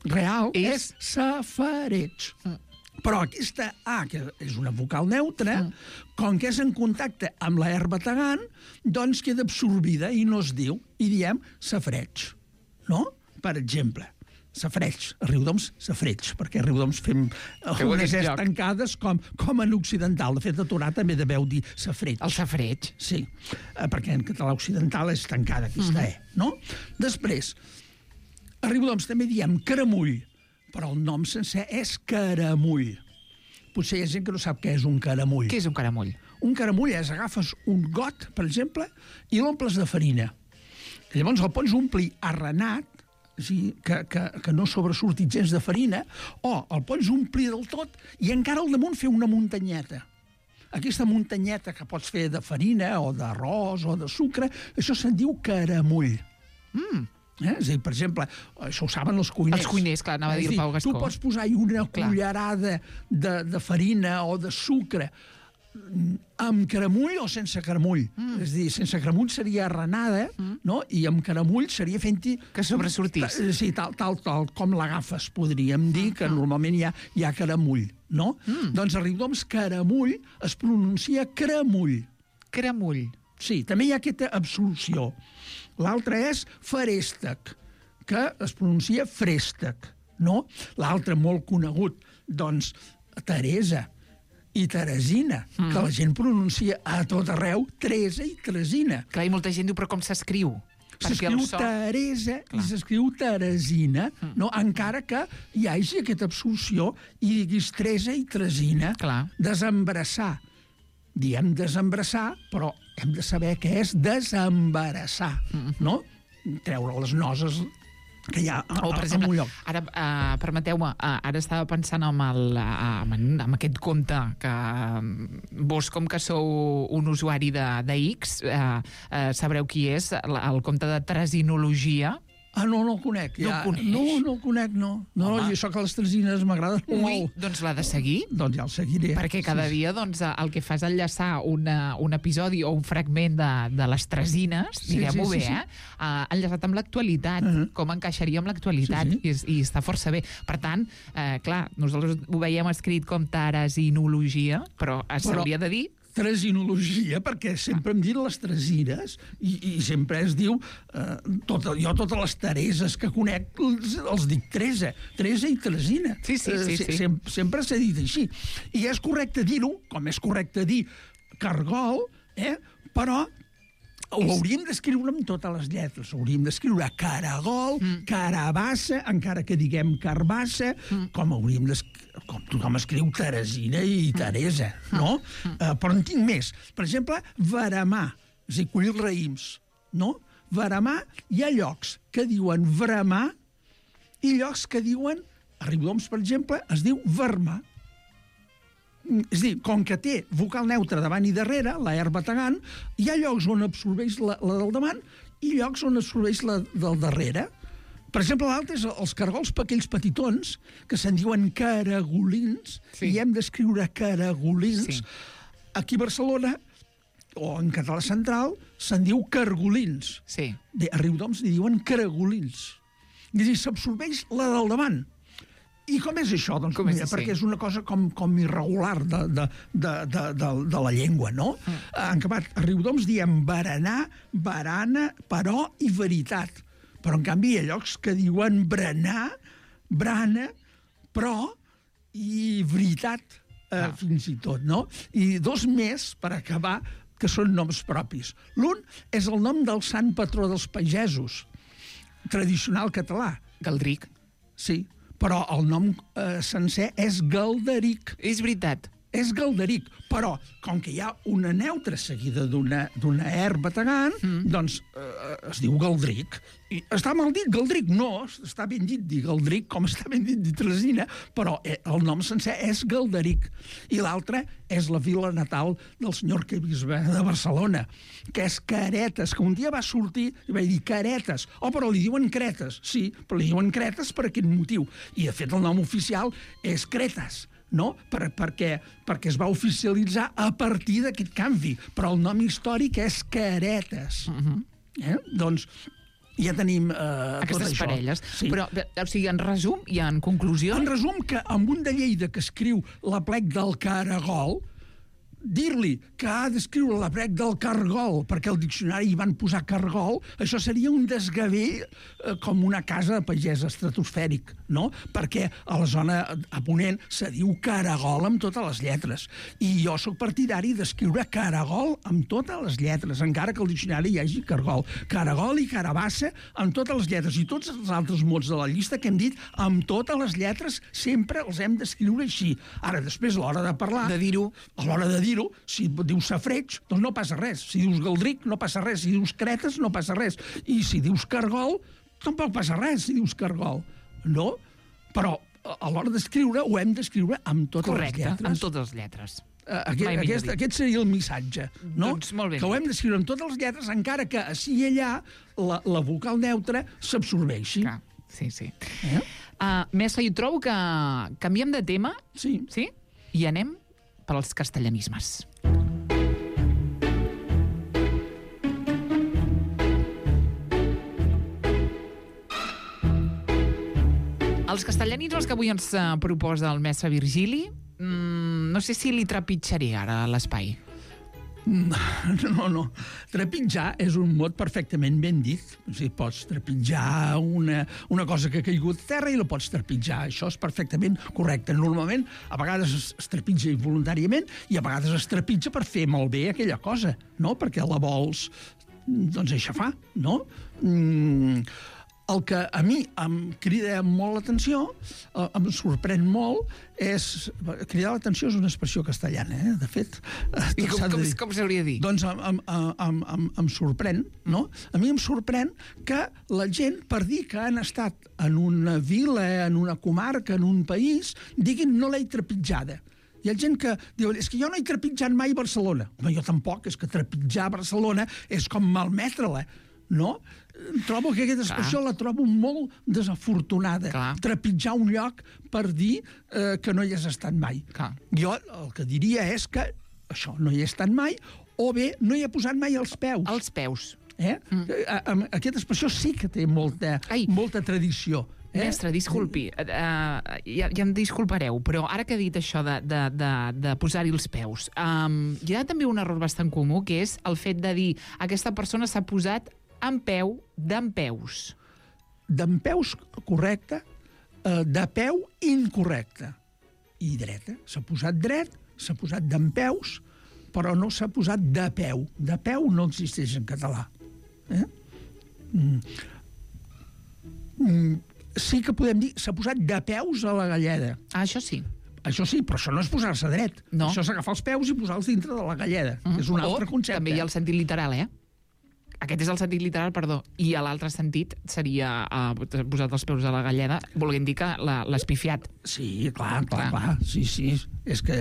real és, és safareig. Mm. Però aquesta A, que és una vocal neutra, mm. com que és en contacte amb la herba tagant, doncs queda absorbida i no es diu, i diem safareig. No? Per exemple, safareig. A Riudoms, safareig, perquè a Riudoms fem unes es tancades com, com en occidental. De fet, a Torà també deveu dir safareig. El safareig? Sí, perquè en català occidental és tancada aquesta E, no? Després, a Riudoms també diem caramull, però el nom sencer és caramull. Potser hi ha gent que no sap què és un caramull. Què és un caramull? Un caramull és agafes un got, per exemple, i l'omples de farina. Llavors el pots omplir arrenat, sí, que, que, que no sobresurti gens de farina, o el pots omplir del tot i encara al damunt fer una muntanyeta. Aquesta muntanyeta que pots fer de farina o d'arròs o de sucre, això se'n diu caramull. Mm. Eh? És a dir, per exemple, això ho saben els cuiners. Els cuiners, clar, anava a dir el Pau Gascó. Tu pots posar-hi una clar. cullerada de, de farina o de sucre amb caramull o sense caramull. Mm. És a dir, sense caramull seria arrenada, mm. no? I amb caramull seria fent-hi... Que sobresortís. Sí, tal, tal, tal com l'agafes, podríem dir, que normalment hi ha, hi ha caramull, no? Mm. Doncs a Riudoms, caramull es pronuncia cramull. Cramull. Sí, també hi ha aquesta absolució. L'altre és feréstec, que es pronuncia frèstec, no? L'altre molt conegut, doncs, Teresa i Teresina, mm. que la gent pronuncia a tot arreu Teresa i Teresina. Clar, i molta gent diu, però com s'escriu? S'escriu so... Teresa clar. I s'escriu Teresina, mm. no? Encara que hi hagi aquesta absolució i diguis Teresa i Teresina. Clar. Desembarassar. Diem desembarassar, però hem de saber què és desembarassar, mm. no? Treure les noces que hi ha a, o, per exemple, en un lloc. Ara, uh, permeteu-me, uh, ara estava pensant en, el, uh, en, en aquest compte que uh, vos, com que sou un usuari de, de X, uh, uh, sabreu qui és, el, el compte de Tresinologia. Ah, no, no el conec. No ja. el coneix? No, no el conec, no. No, i això que les tresines m'agraden Ui, molt. Doncs l'ha de seguir. Doncs ja el seguiré. Perquè cada sí. dia doncs, el que fa és enllaçar una, un episodi o un fragment de, de les tresines, sí, diguem-ho sí, bé, sí, sí. eh? Uh, enllaçat amb l'actualitat, uh -huh. com encaixaria amb l'actualitat, sí, sí. I, i està força bé. Per tant, eh, clar, nosaltres ho veiem escrit com Teresinologia, però s'hauria de dir Tresinologia, perquè sempre em diuen les tresines i, i sempre es diu eh, tot, jo totes les Tereses que conec els, els dic Teresa, Teresa i Teresina. Sí, sí, sí. sí. Sem sempre s'ha dit així. I és correcte dir-ho, com és correcte dir cargol, eh? Però ho hauríem d'escriure amb totes les lletres. Hauríem d'escriure caragol, mm. carabassa, encara que diguem carbassa, mm. com hauríem d'escriure, com tothom escriu Teresina i Teresa, no? Mm. Uh, però en tinc més. Per exemple, veramar, és a dir, collir raïms, no? Veramar, hi ha llocs que diuen veramar i llocs que diuen, a Riudoms, per exemple, es diu vermar. És a dir, com que té vocal neutra davant i darrere, la herba tagant, hi ha llocs on absorbeix la, la del davant i llocs on absorbeix la del darrere. Per exemple, l'altre és els cargols aquells petitons, que se'n diuen caragolins, sí. I hem d'escriure caragolins. Sí. Aquí a Barcelona, o en català central, se'n diu cargolins. Sí. A Riudoms li diuen caragolins. És a dir, s'absorbeix la del davant. I com és això? Doncs com mira, és perquè és una cosa com, com irregular de, de, de, de, de, de la llengua, no? Mm. En acabat, a Riudoms diem berenar, barana, però i veritat. Però, en canvi, hi ha llocs que diuen berenar, brana, però i veritat, eh, ah. fins i tot, no? I dos més, per acabar, que són noms propis. L'un és el nom del sant patró dels pagesos, tradicional català. Galdric. Sí, però el nom eh, sencer és Galderic. És veritat. és Galderic, però com que hi ha una neutra seguida d'una d'una er bategant, mm. doncs eh, es diu Galdric. I està mal dit Galdric? No, està ben dit dir Galdric, com està ben dit dir Tresina, però eh, el nom sencer és Galderic. I l'altre és la vila natal del senyor arquebisbe de Barcelona, que és Caretes, que un dia va sortir i va dir Caretes. Oh, però li diuen Cretes. Sí, però li diuen Cretes per aquest motiu. I, de fet, el nom oficial és Cretes. No? Per, perquè, perquè es va oficialitzar a partir d'aquest canvi, però el nom històric és Caretes. Uh-huh. eh? Doncs ja tenim eh, aquestes tot això. Parelles. Sí. Però, o sigui, en resum i en conclusió... En resum, que amb un de Lleida que escriu l'Aplec del Caragol, dir-li que ha d'escriure l'Aplec del Cargol perquè el diccionari hi van posar Cargol, això seria un desgavell eh, com una casa de pagès estratosfèric, no? Perquè a la zona a Ponent se diu Caragol amb totes les lletres. I jo sóc partidari d'escriure Caragol amb totes les lletres, encara que al diccionari hi hagi Cargol. Caragol i Carabassa amb totes les lletres. I tots els altres mots de la llista que hem dit, amb totes les lletres, sempre els hem d'escriure així. Ara, després, a l'hora de parlar... De dir-ho. A l'hora de dir si dius Safreig, doncs no passa res. Si dius Galdric, no passa res. Si dius Cretes, no passa res. I si dius Cargol, tampoc passa res si dius Cargol. No? Però a l'hora d'escriure ho hem d'escriure amb totes Correcte, les lletres. amb totes les lletres. Uh, aquest, aquest, aquest seria el missatge, no? Doncs molt bé. Que ho hem d'escriure amb totes les lletres, encara que així i allà la, la vocal neutra s'absorbeixi. Clar, sí, sí. Eh? Uh, Mestre, jo trobo que canviem de tema. Sí. Sí? I anem pels castellanismes. Els castellanismes que avui ens uh, proposa el mestre Virgili, mm, no sé si li trepitjaré ara a l'espai. No, no. Trepitjar és un mot perfectament ben dit. O sigui, pots trepitjar una, una cosa que ha caigut a terra i la pots trepitjar. Això és perfectament correcte. Normalment, a vegades es, es trepitja involuntàriament i a vegades es trepitja per fer malbé aquella cosa, no? Perquè la vols, doncs, aixafar, no? Mm, el que a mi em crida molt l'atenció, eh, em sorprèn molt, és... Cridar l'atenció és una expressió castellana, eh? De fet... I com, com, com s'hauria de dir? Doncs em, em, em, em, em sorprèn, no? A mi em sorprèn que la gent, per dir que han estat en una vila, en una comarca, en un país, diguin no l'he trepitjada. Hi ha gent que diu, és que jo no he trepitjat mai Barcelona. Home, jo tampoc, és que trepitjar Barcelona és com malmetre-la, no? Trobo que aquesta expressió Clar. la trobo molt desafortunada. Clar. Trepitjar un lloc per dir eh, que no hi has estat mai. Clar. Jo el que diria és que això, no hi he estat mai, o bé no hi he posat mai els peus. Els peus. Eh? Mm. Aquesta expressió sí que té molta, molta tradició. Eh? Mestre, disculpi, uh, ja, ja em disculpareu, però ara que ha dit això de, de, de, de posar-hi els peus, um, hi ha també un error bastant comú, que és el fet de dir aquesta persona s'ha posat en peu d'en peus. D'en peus, correcte, uh, de peu, incorrecte. I dreta. S'ha posat dret, s'ha posat d'en peus, però no s'ha posat de peu. De peu no existeix en català. Eh? Mm. Mm. Sí que podem dir, s'ha posat de peus a la galleda. Ah, això sí. Això sí, però això no és posar-se dret. No. Això és agafar els peus i posar-los dintre de la galleda, mm. que és un altre o, concepte. També hi ha el sentit literal, eh? Aquest és el sentit literal, perdó. I a l'altre sentit seria uh, posat els peus a la galleda, volent dir que l'has pifiat. Sí, clar, clar, clar. Sí, sí. És que,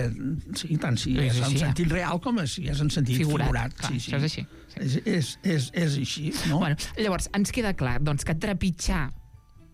sí, tant si és, és en sí, sentit real com si és en sentit figurat. figurat. Clar, sí, sí. Això és així. Sí. És, és, és, és així, no? Bueno, llavors, ens queda clar doncs, que trepitjar,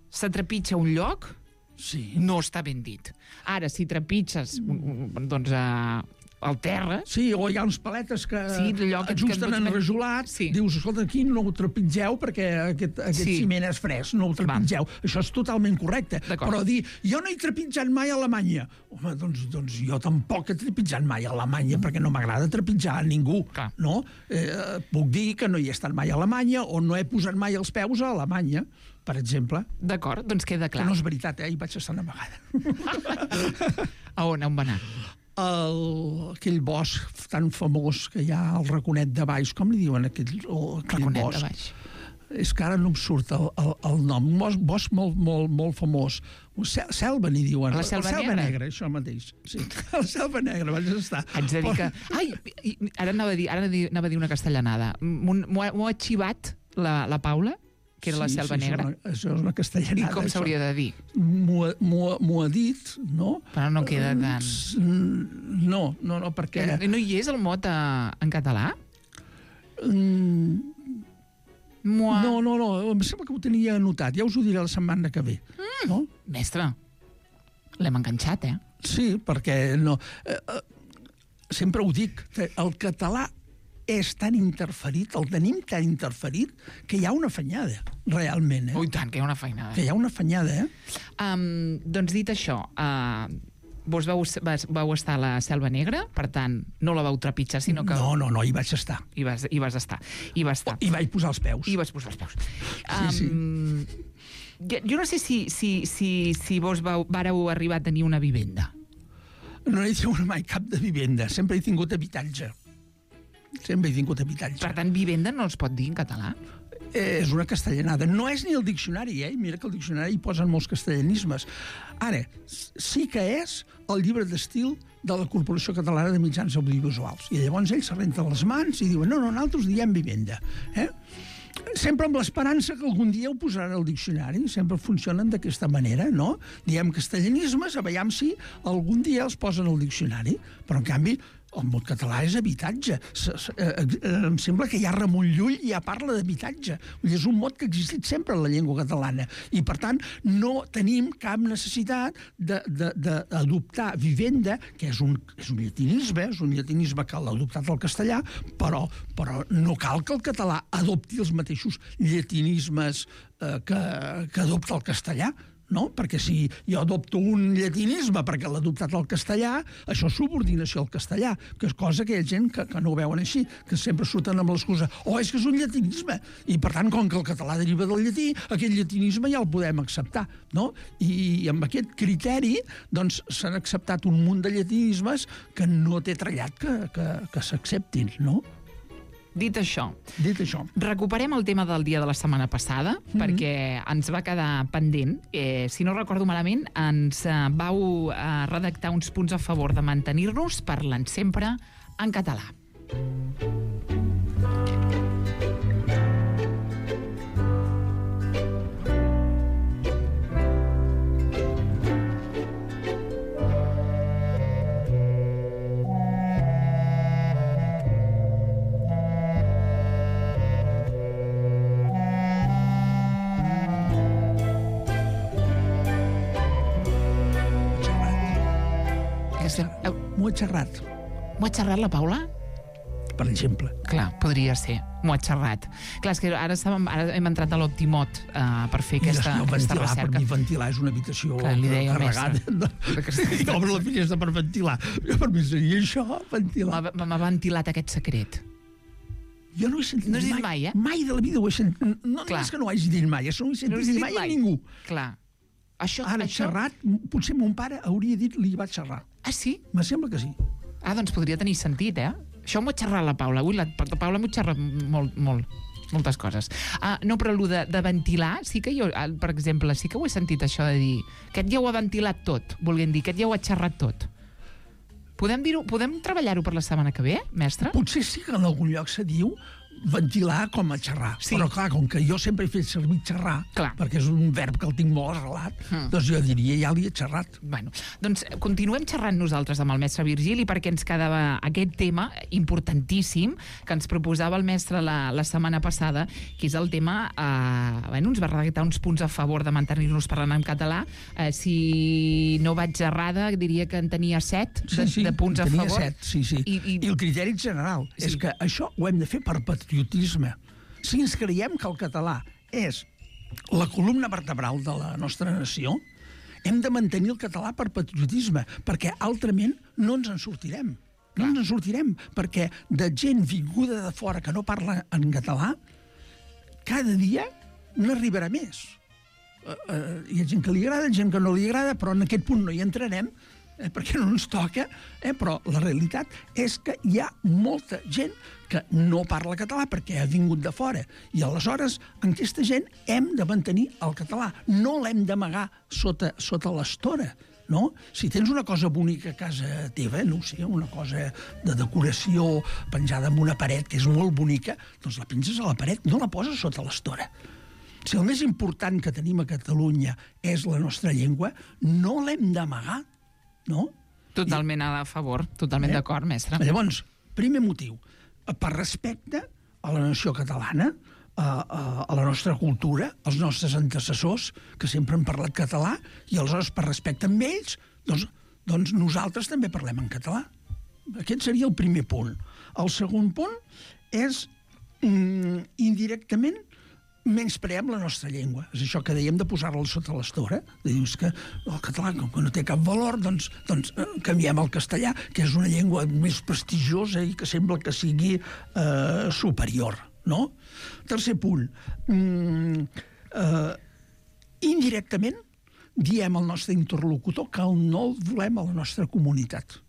se trepitja un lloc, sí. no està ben dit. Ara, si trepitges doncs, uh, al terra... Sí, o hi ha uns paletes que sí, que, ajusten que enrajolat, sí. dius, escolta, aquí no ho trepitgeu perquè aquest, aquest sí. ciment és fresc, no ho trepitgeu. Va. Això és totalment correcte. Però dir, jo no he trepitjat mai a Alemanya. Home, doncs, doncs jo tampoc he trepitjat mai a Alemanya, mm. perquè no m'agrada trepitjar a ningú. Clar. No? Eh, puc dir que no hi he estat mai a Alemanya o no he posat mai els peus a Alemanya, per exemple. D'acord, doncs queda clar. Que no és veritat, eh? Hi vaig estar una vegada. A on? On va anar? El, aquell bosc tan famós que hi ha al Raconet de Baix, com li diuen aquell, aquell Raconet bosc? de Baix. és que ara no em surt el, el, el nom, un bosc, bosc molt, molt, molt famós. Sel, selva, n'hi diuen. La selva, selva negra. negra, això mateix. Sí, la selva negra, vaig estar. Haig de dir que... Ai, ara anava a dir, ara anava a dir una castellanada. M'ho ha xivat la, la Paula, que era sí, la selva sí, negra. Això, una, això és una castellanada. I com s'hauria de dir? M'ho ha dit, no? Però no queda tan... No, no, no, perquè... No hi és el mot a, en català? Mm... Mua. No, no, no, em sembla que ho tenia anotat. Ja us ho diré la setmana que ve. Mm. No? Mestre, l'hem enganxat, eh? Sí, perquè no... Eh, eh, sempre ho dic, el català és tan interferit, el tenim tan interferit, que hi ha una afanyada, realment. Eh? Ui, tant, que hi ha una afanyada. Que hi ha una afanyada, eh? Um, doncs dit això, uh, vos vau, vau estar a la Selva Negra, per tant, no la vau trepitjar, sinó que... No, no, no, hi vaig estar. Hi vas, hi vas estar. Hi vas estar. I vaig posar els peus. I vas posar els peus. Sí, um, sí. Jo no sé si, si, si, si vos vau, vareu arribar a tenir una vivenda. No he tingut mai cap de vivenda, sempre he tingut habitatge. Sempre he tingut habitatge. Per tant, vivenda no es pot dir en català? Eh, és una castellanada. No és ni el diccionari, eh? Mira que el diccionari hi posen molts castellanismes. Ara, sí que és el llibre d'estil de la Corporació Catalana de Mitjans Audiovisuals. I llavors ells se renten les mans i diuen no, no, nosaltres diem vivenda. Eh? Sempre amb l'esperança que algun dia ho posaran al diccionari, sempre funcionen d'aquesta manera, no? Diem castellanismes, a veure si algun dia els posen al diccionari, però en canvi el mot català és habitatge. Em sembla que ja Ramon Llull ja parla d'habitatge. És un mot que ha existit sempre en la llengua catalana. I, per tant, no tenim cap necessitat d'adoptar vivenda, que és un, és un llatinisme, és un llatinisme que l'ha adoptat el castellà, però, però no cal que el català adopti els mateixos llatinismes eh, que, que adopta el castellà. No? Perquè si jo adopto un llatinisme perquè l'ha adoptat el castellà, això és subordinació al castellà, que és cosa que hi ha gent que, que no ho veuen així, que sempre surten amb l'excusa, oh, és que és un llatinisme, i per tant, com que el català deriva del llatí, aquest llatinisme ja el podem acceptar, no? I, i amb aquest criteri, doncs, s'han acceptat un munt de llatinismes que no té trellat que, que, que s'acceptin, no? Dit això, Dit això, recuperem el tema del dia de la setmana passada, mm-hmm. perquè ens va quedar pendent. Eh, si no recordo malament, ens eh, vau eh, redactar uns punts a favor de mantenir-nos parlant sempre en català. m'ho ha xerrat, M'ho ha xerrat la Paula? per exemple. Clar, podria ser. M'ho ha xerrat. Clar, és que ara, estàvem, ara hem entrat a l'Optimot uh, per fer aquesta, I aquesta ventilar, recerca. Per mi ventilar és una habitació Clar, li deia carregada. I obre la finestra per ventilar. Per mi seria això, ventilar. M'ha ventilat aquest secret. Jo no ho he sentit no has dit mai. mai, eh? Mai de la vida ho he sentit. No, no és que no ho hagi dit mai, això no ho he sentit no mai, mai a ningú. Clar. Això, Ara, això... xerrat, potser mon pare hauria dit li va xerrar. Ah, sí? Me sembla que sí. Ah, doncs podria tenir sentit, eh? Això m'ho ha xerrat la Paula. Avui la, la Paula m'ho xerra molt, molt, moltes coses. Ah, no, però el de, de ventilar, sí que jo, per exemple, sí que ho he sentit això de dir aquest ja ho ha ventilat tot, volguem dir, aquest ja ho ha xerrat tot. Podem dir-ho, podem treballar-ho per la setmana que ve, mestre? Potser sí que en algun lloc se diu ventilar com a xerrar. Sí. Però clar, com que jo sempre he fet servir xerrar, clar. perquè és un verb que el tinc molt arrelat, mm. doncs jo diria ja li he xerrat. Bueno, doncs continuem xerrant nosaltres amb el mestre Virgili perquè ens quedava aquest tema importantíssim que ens proposava el mestre la, la setmana passada, que és el tema, eh, bueno, ens va redactar uns punts a favor de mantenir-nos parlant en català. Eh, si no vaig errada, diria que en tenia set de, sí, sí, de punts a favor. Set, sí, sí. I, i... I el criteri general sí. és que això ho hem de fer per patriotisme. Si ens creiem que el català és la columna vertebral de la nostra nació, hem de mantenir el català per patriotisme, perquè altrament no ens en sortirem. No ens en sortirem, perquè de gent vinguda de fora que no parla en català, cada dia n'arribarà més. Uh, uh, hi ha gent que li agrada, gent que no li agrada, però en aquest punt no hi entrarem, eh, perquè no ens toca, eh, però la realitat és que hi ha molta gent que no parla català perquè ha vingut de fora. I aleshores, en aquesta gent hem de mantenir el català. No l'hem d'amagar sota, sota l'estora, no? Si tens una cosa bonica a casa teva, no sé, una cosa de decoració penjada en una paret que és molt bonica, doncs la penges a la paret, no la poses sota l'estora. Si el més important que tenim a Catalunya és la nostra llengua, no l'hem d'amagar, no? Totalment I... a favor, totalment eh? d'acord, mestre. Llavors, primer motiu, per respecte a la nació catalana, a, a, a la nostra cultura, als nostres antecessors, que sempre han parlat català, i aleshores, per respecte amb ells, doncs, doncs nosaltres també parlem en català. Aquest seria el primer punt. El segon punt és, mm, indirectament, menyspreem la nostra llengua. És això que dèiem de posar-la sota l'estora. Dius que el català, com que no té cap valor, doncs, doncs canviem al castellà, que és una llengua més prestigiosa i que sembla que sigui eh, superior, no? Tercer punt. Mm, eh, indirectament diem al nostre interlocutor que no el volem a la nostra comunitat.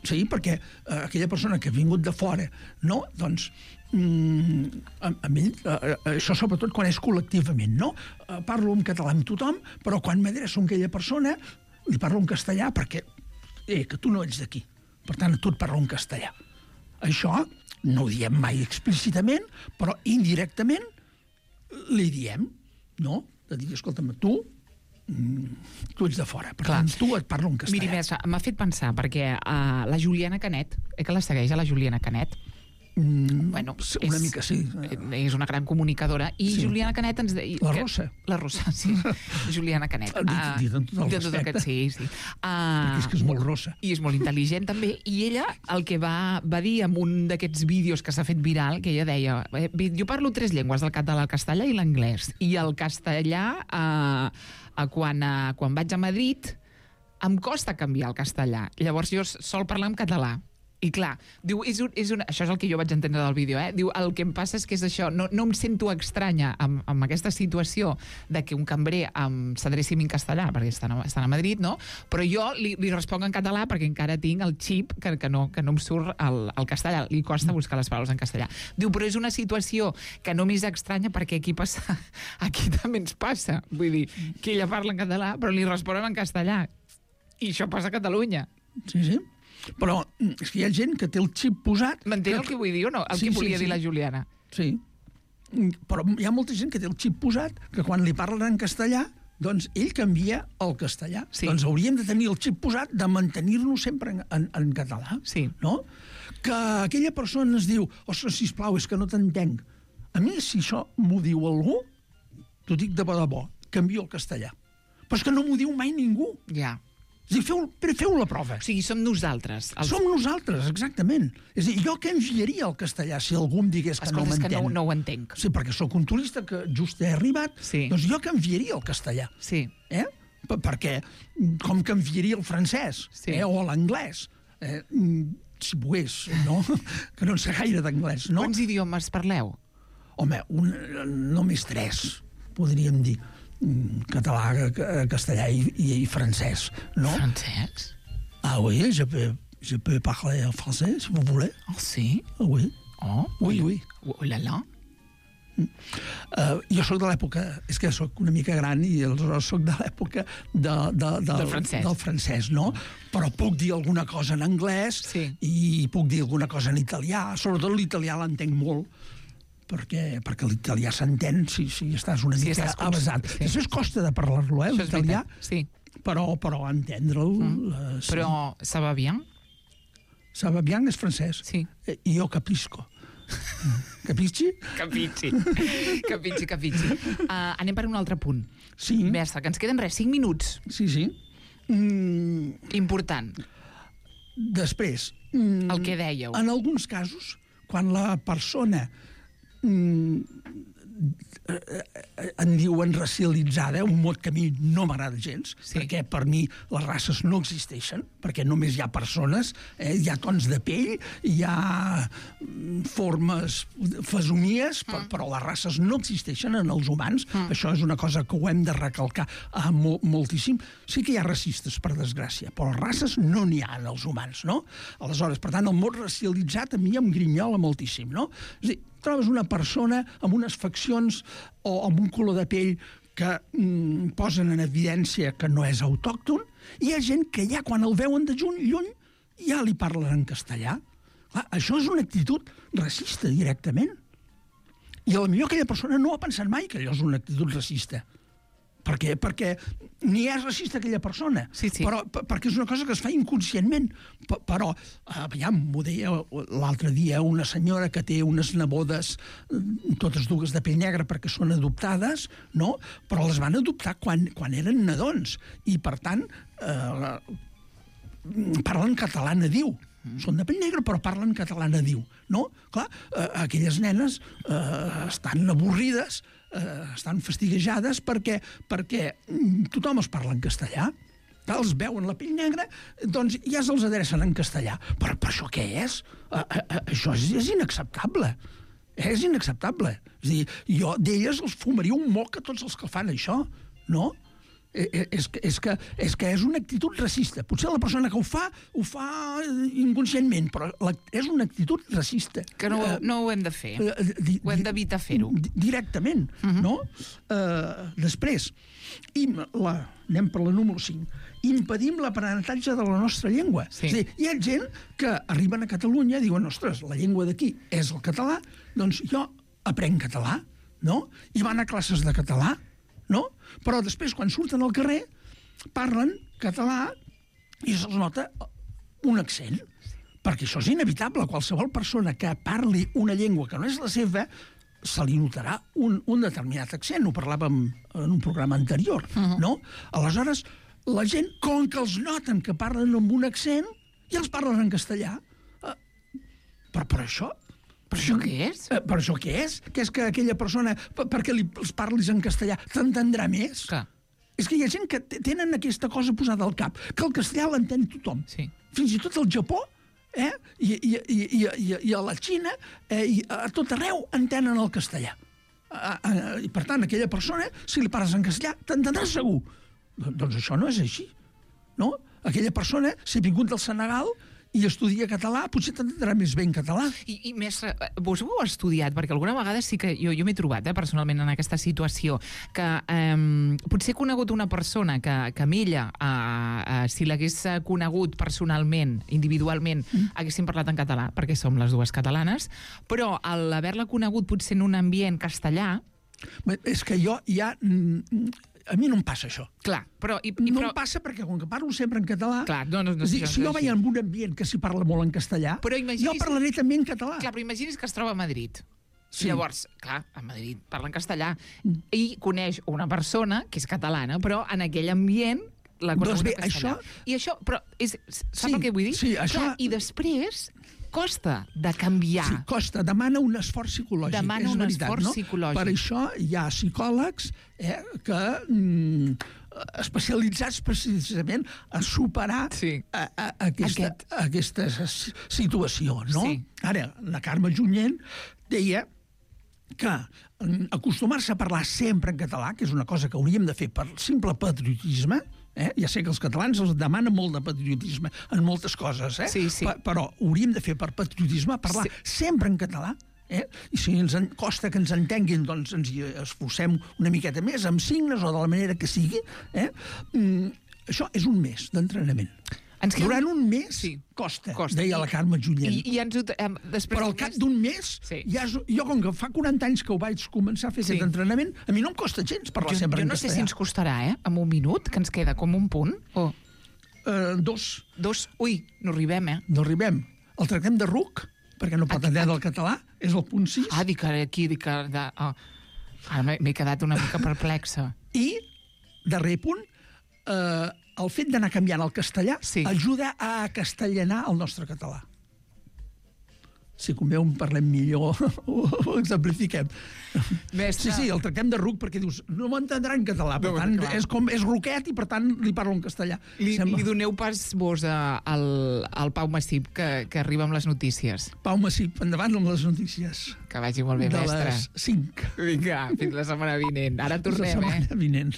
Sí, perquè eh, aquella persona que ha vingut de fora, no? Doncs mm, amb ell, eh, això sobretot quan és col·lectivament, no? Eh, parlo en català amb tothom, però quan m'adreço a aquella persona li parlo en castellà perquè eh, que tu no ets d'aquí. Per tant, a tu et parlo en castellà. Això no ho diem mai explícitament, però indirectament li diem, no? De dir, escolta'm, tu tu ets de fora, per tant, tu et parlo en castellà. Miri, mestre, m'ha fet pensar, perquè uh, la Juliana Canet, eh, que la segueix a la Juliana Canet, mm, bueno, una és, mica sí. És una gran comunicadora, i sí. Juliana Canet ens deia... La que, Rosa. La Rosa, sí. Juliana Canet. Dit, dit amb tot el respecte. Aquest, sí, sí. Uh, Perquè és que és molt rossa. I és molt intel·ligent, també. I ella el que va, va dir en un d'aquests vídeos que s'ha fet viral, que ella deia, eh, jo parlo tres llengües, el català, el castellà i l'anglès. I el castellà... Eh, Quan, uh, quan vaig a Madrid em costa canviar el castellà. Llavors jo sol parlar en català. I clar, diu, és un, és una, això és el que jo vaig entendre del vídeo, eh? Diu, el que em passa és que és això, no, no em sento estranya amb, amb aquesta situació de que un cambrer um, s'adreci en castellà, perquè estan a, estan a Madrid, no? Però jo li, li responc en català perquè encara tinc el xip que, que, no, que no em surt el, el castellà. Li costa buscar les paraules en castellà. Diu, però és una situació que no m'és estranya perquè aquí passa, aquí també ens passa. Vull dir, que ella parla en català, però li responen en castellà. I això passa a Catalunya. Sí, sí. Però és que hi ha gent que té el xip posat... M'entén el que vull dir o no? El sí, que volia sí, sí. dir la Juliana. Sí. Però hi ha molta gent que té el xip posat que quan li parlen en castellà, doncs ell canvia al castellà. Sí. Doncs hauríem de tenir el xip posat de mantenir-nos sempre en, en, en català. Sí. No? Que aquella persona ens diu, ostres, sisplau, és que no t'entenc. A mi, si això m'ho diu algú, t'ho dic de bo de bo, canvio al castellà. Però és que no m'ho diu mai ningú. Ja. És a dir, feu, però feu la prova. O sigui, som nosaltres. Els... Som nosaltres, exactament. És a dir, jo què enviaria al castellà si algú em digués que Escolta, no m'entén? És que no, no ho entenc. Sí, perquè sóc un turista que just he arribat, sí. Doncs jo que enviaria al castellà. Sí. Eh? Perquè, com que enviaria el francès, sí. eh? O l'anglès, eh? si pogués, no? Que no en sé gaire d'anglès, no? Quants idiomes parleu? Home, un, només tres, podríem dir. Català, castellà i, i, i francès, no? Francès? Ah oui, je peux, je peux parler français, si vous voulez. Oh, sí? Ah oui. Oh, oui, oui. Oh, là, là. Uh, jo sóc de l'època, és que sóc una mica gran i aleshores sóc de l'època de, de, de, del, francès. del francès, no? Però puc dir alguna cosa en anglès sí. I puc dir alguna cosa en italià, sobretot l'italià l'entenc molt, perquè, perquè l'italià s'entén si, si estàs una si mica estàs avasat. Sí. Després costa de parlar-lo, eh, l'italià, sí. però, però entendre'l... Mm. Uh, sí. Però ça va bien? Ça va bien és francès. Sí. Eh, jo capisco. Capisci? Capisci. Capisci, capisci. Uh, anem per un altre punt. Sí. Mestre, que ens queden res, cinc minuts. Sí, sí. Mm. Important. Després... Mm, el que dèieu. En alguns casos, quan la persona mm, en diuen racialitzada, un mot que a mi no m'agrada gens, sí. perquè per mi les races no existeixen, perquè només hi ha persones, eh? Hi ha tons de pell, hi ha formes, fesomies, mm. però les races no existeixen en els humans. Mm. Això és una cosa que ho hem de recalcar ah, mo moltíssim. Sí que hi ha racistes, per desgràcia, però races no n'hi ha en els humans, no? Aleshores, per tant, el mot racialitzat a mi em grinyola moltíssim, no? És a dir, trobes una persona amb unes faccions o amb un color de pell que mm, posen en evidència que no és autòcton, i hi ha gent que ja quan el veuen de lluny, lluny ja li parlen en castellà. Clar, això és una actitud racista directament. I a la millor aquella persona no ha pensat mai que allò és una actitud racista. Per què? Perquè ni és racista aquella persona, sí, sí. Però, perquè és una cosa que es fa inconscientment. P però, aviam, m'ho deia l'altre dia una senyora que té unes nebodes, totes dues de pell negra perquè són adoptades, no? Però les van adoptar quan, quan eren nadons. I, per tant, eh, parlen català nadiu. Són de pell negra, però parlen català nadiu, no? Clar, eh, aquelles nenes eh, estan avorrides, eh, estan fastiguejades perquè, perquè tothom es parla en castellà. Els veuen la pell negra, doncs ja se'ls adrecen en castellà. Però, però això què és? Eh, eh, això és, és inacceptable. És inacceptable. És a dir, jo d'elles els fumaria un moc a tots els que fan això, no? És que, és, que, és que és una actitud racista. Potser la persona que ho fa, ho fa inconscientment, però la, és una actitud racista. Que no, uh, no ho hem de fer. Uh, di, ho hem d'evitar fer-ho. Directament, uh-huh. no? Uh, després, im, la, anem per la número cinc, impedim l'aprenentatge de la nostra llengua. Sí. És a dir, hi ha gent que arriben a Catalunya i diuen, ostres, la llengua d'aquí és el català, doncs jo aprenc català, no? I van a classes de català, no? Però després, quan surten al carrer, parlen català i se'ls nota un accent. Perquè això és inevitable. Qualsevol persona que parli una llengua que no és la seva, se li notarà un, un determinat accent. Ho parlàvem en un programa anterior, uh-huh. no? Aleshores, la gent, com que els noten que parlen amb un accent, ja els parlen en castellà. Uh, però per això... Per això què és? Eh, per això què és? Que és que aquella persona, per, perquè li, els parlis en castellà, t'entendrà més? Clar. És que hi ha gent que tenen aquesta cosa posada al cap, que el castellà l'entén tothom. Sí. Fins i tot al Japó, eh? I, i, i, i, i, i a la Xina, eh? I a tot arreu entenen el castellà. A, a, I per tant, aquella persona, si li parles en castellà, t'entendrà segur. Doncs això no és així, no? Aquella persona, si ha vingut del Senegal i estudia català, potser t'entendrà més bé en català. I, i mestre, vos ho heu estudiat? Perquè alguna vegada sí que jo, jo m'he trobat eh, personalment en aquesta situació, que eh, potser he conegut una persona que, que amb ella, eh, eh, si l'hagués conegut personalment, individualment, mm. haguéssim parlat en català, perquè som les dues catalanes, però al haver-la conegut potser en un ambient castellà... És que jo ja... A mi no em passa això. Clar, però... I, i, no però... em passa perquè, com que parlo sempre en català... Clar, no, no, no, dir, si jo vaig en un ambient que s'hi parla molt en castellà, però imaginis... jo parlaré també en català. Clar, però imagini's que es troba a Madrid. Sí. Llavors, clar, a Madrid parla en castellà. Mm. I coneix una persona que és catalana, però en aquell ambient la conegut doncs bé, en castellà. Això... I això, però, és, sap sí, el que vull dir? Sí, això... Clar, i després... costa de canviar. Sí, costa, demana un esforç psicològic. Demana és un veritat, esforç no? psicològic. Per això hi ha psicòlegs eh, que mm, especialitzats precisament a superar sí. a, a, aquesta, Aquest. aquesta situació, no? Sí. Ara, la Carme Junyent deia que acostumar-se a parlar sempre en català, que és una cosa que hauríem de fer per simple patriotisme, eh? Ja sé que els catalans els demanen molt de patriotisme en moltes coses, eh? Sí, sí. Pa però hauríem de fer per patriotisme parlar sí. sempre en català, eh? I si ens en costa que ens entenguin, doncs ens hi esforcem una miqueta més, amb signes o de la manera que sigui, eh? Mm, això és un mes d'entrenament. Ens queda... Durant un mes sí. costa, costa, deia la Carme Junyent. I, i ens, eh, després però al cap d'un mes, sí. ja és, jo com que fa quaranta anys que ho vaig començar a fer sí. aquest entrenament, a mi no em costa gens parlar jo, sempre jo en no castellà. sé si ens costarà, eh? En un minut, que ens queda com un punt. O... Uh, dos. Dos? Ui, no arribem, eh? No arribem. El tractem de ruc, perquè no pot entendre el català, és el punt sis. Ah, dic aquí, dic... De... Oh. Ara m'he quedat una mica perplexa. I, darrer punt, eh... el fet d'anar canviant el castellà sí. ajuda a castellanar el nostre català. si convé en parlem millor, ho, ho exemplifiquem. Mestre. Sí, sí, el tractem de ruc perquè dius, no m'entendrà en català, per No, tant, clar. és, com, és ruquet i per tant li parlo en castellà. Li, Sembla... li doneu pas vos a, al, al Pau Massip, que, que arriba amb les notícies. Pau Massip, endavant amb les notícies. Que vagi molt bé, de mestre. les cinc. Vinga, fins la setmana vinent. Ara tornem, la setmana eh? vinent.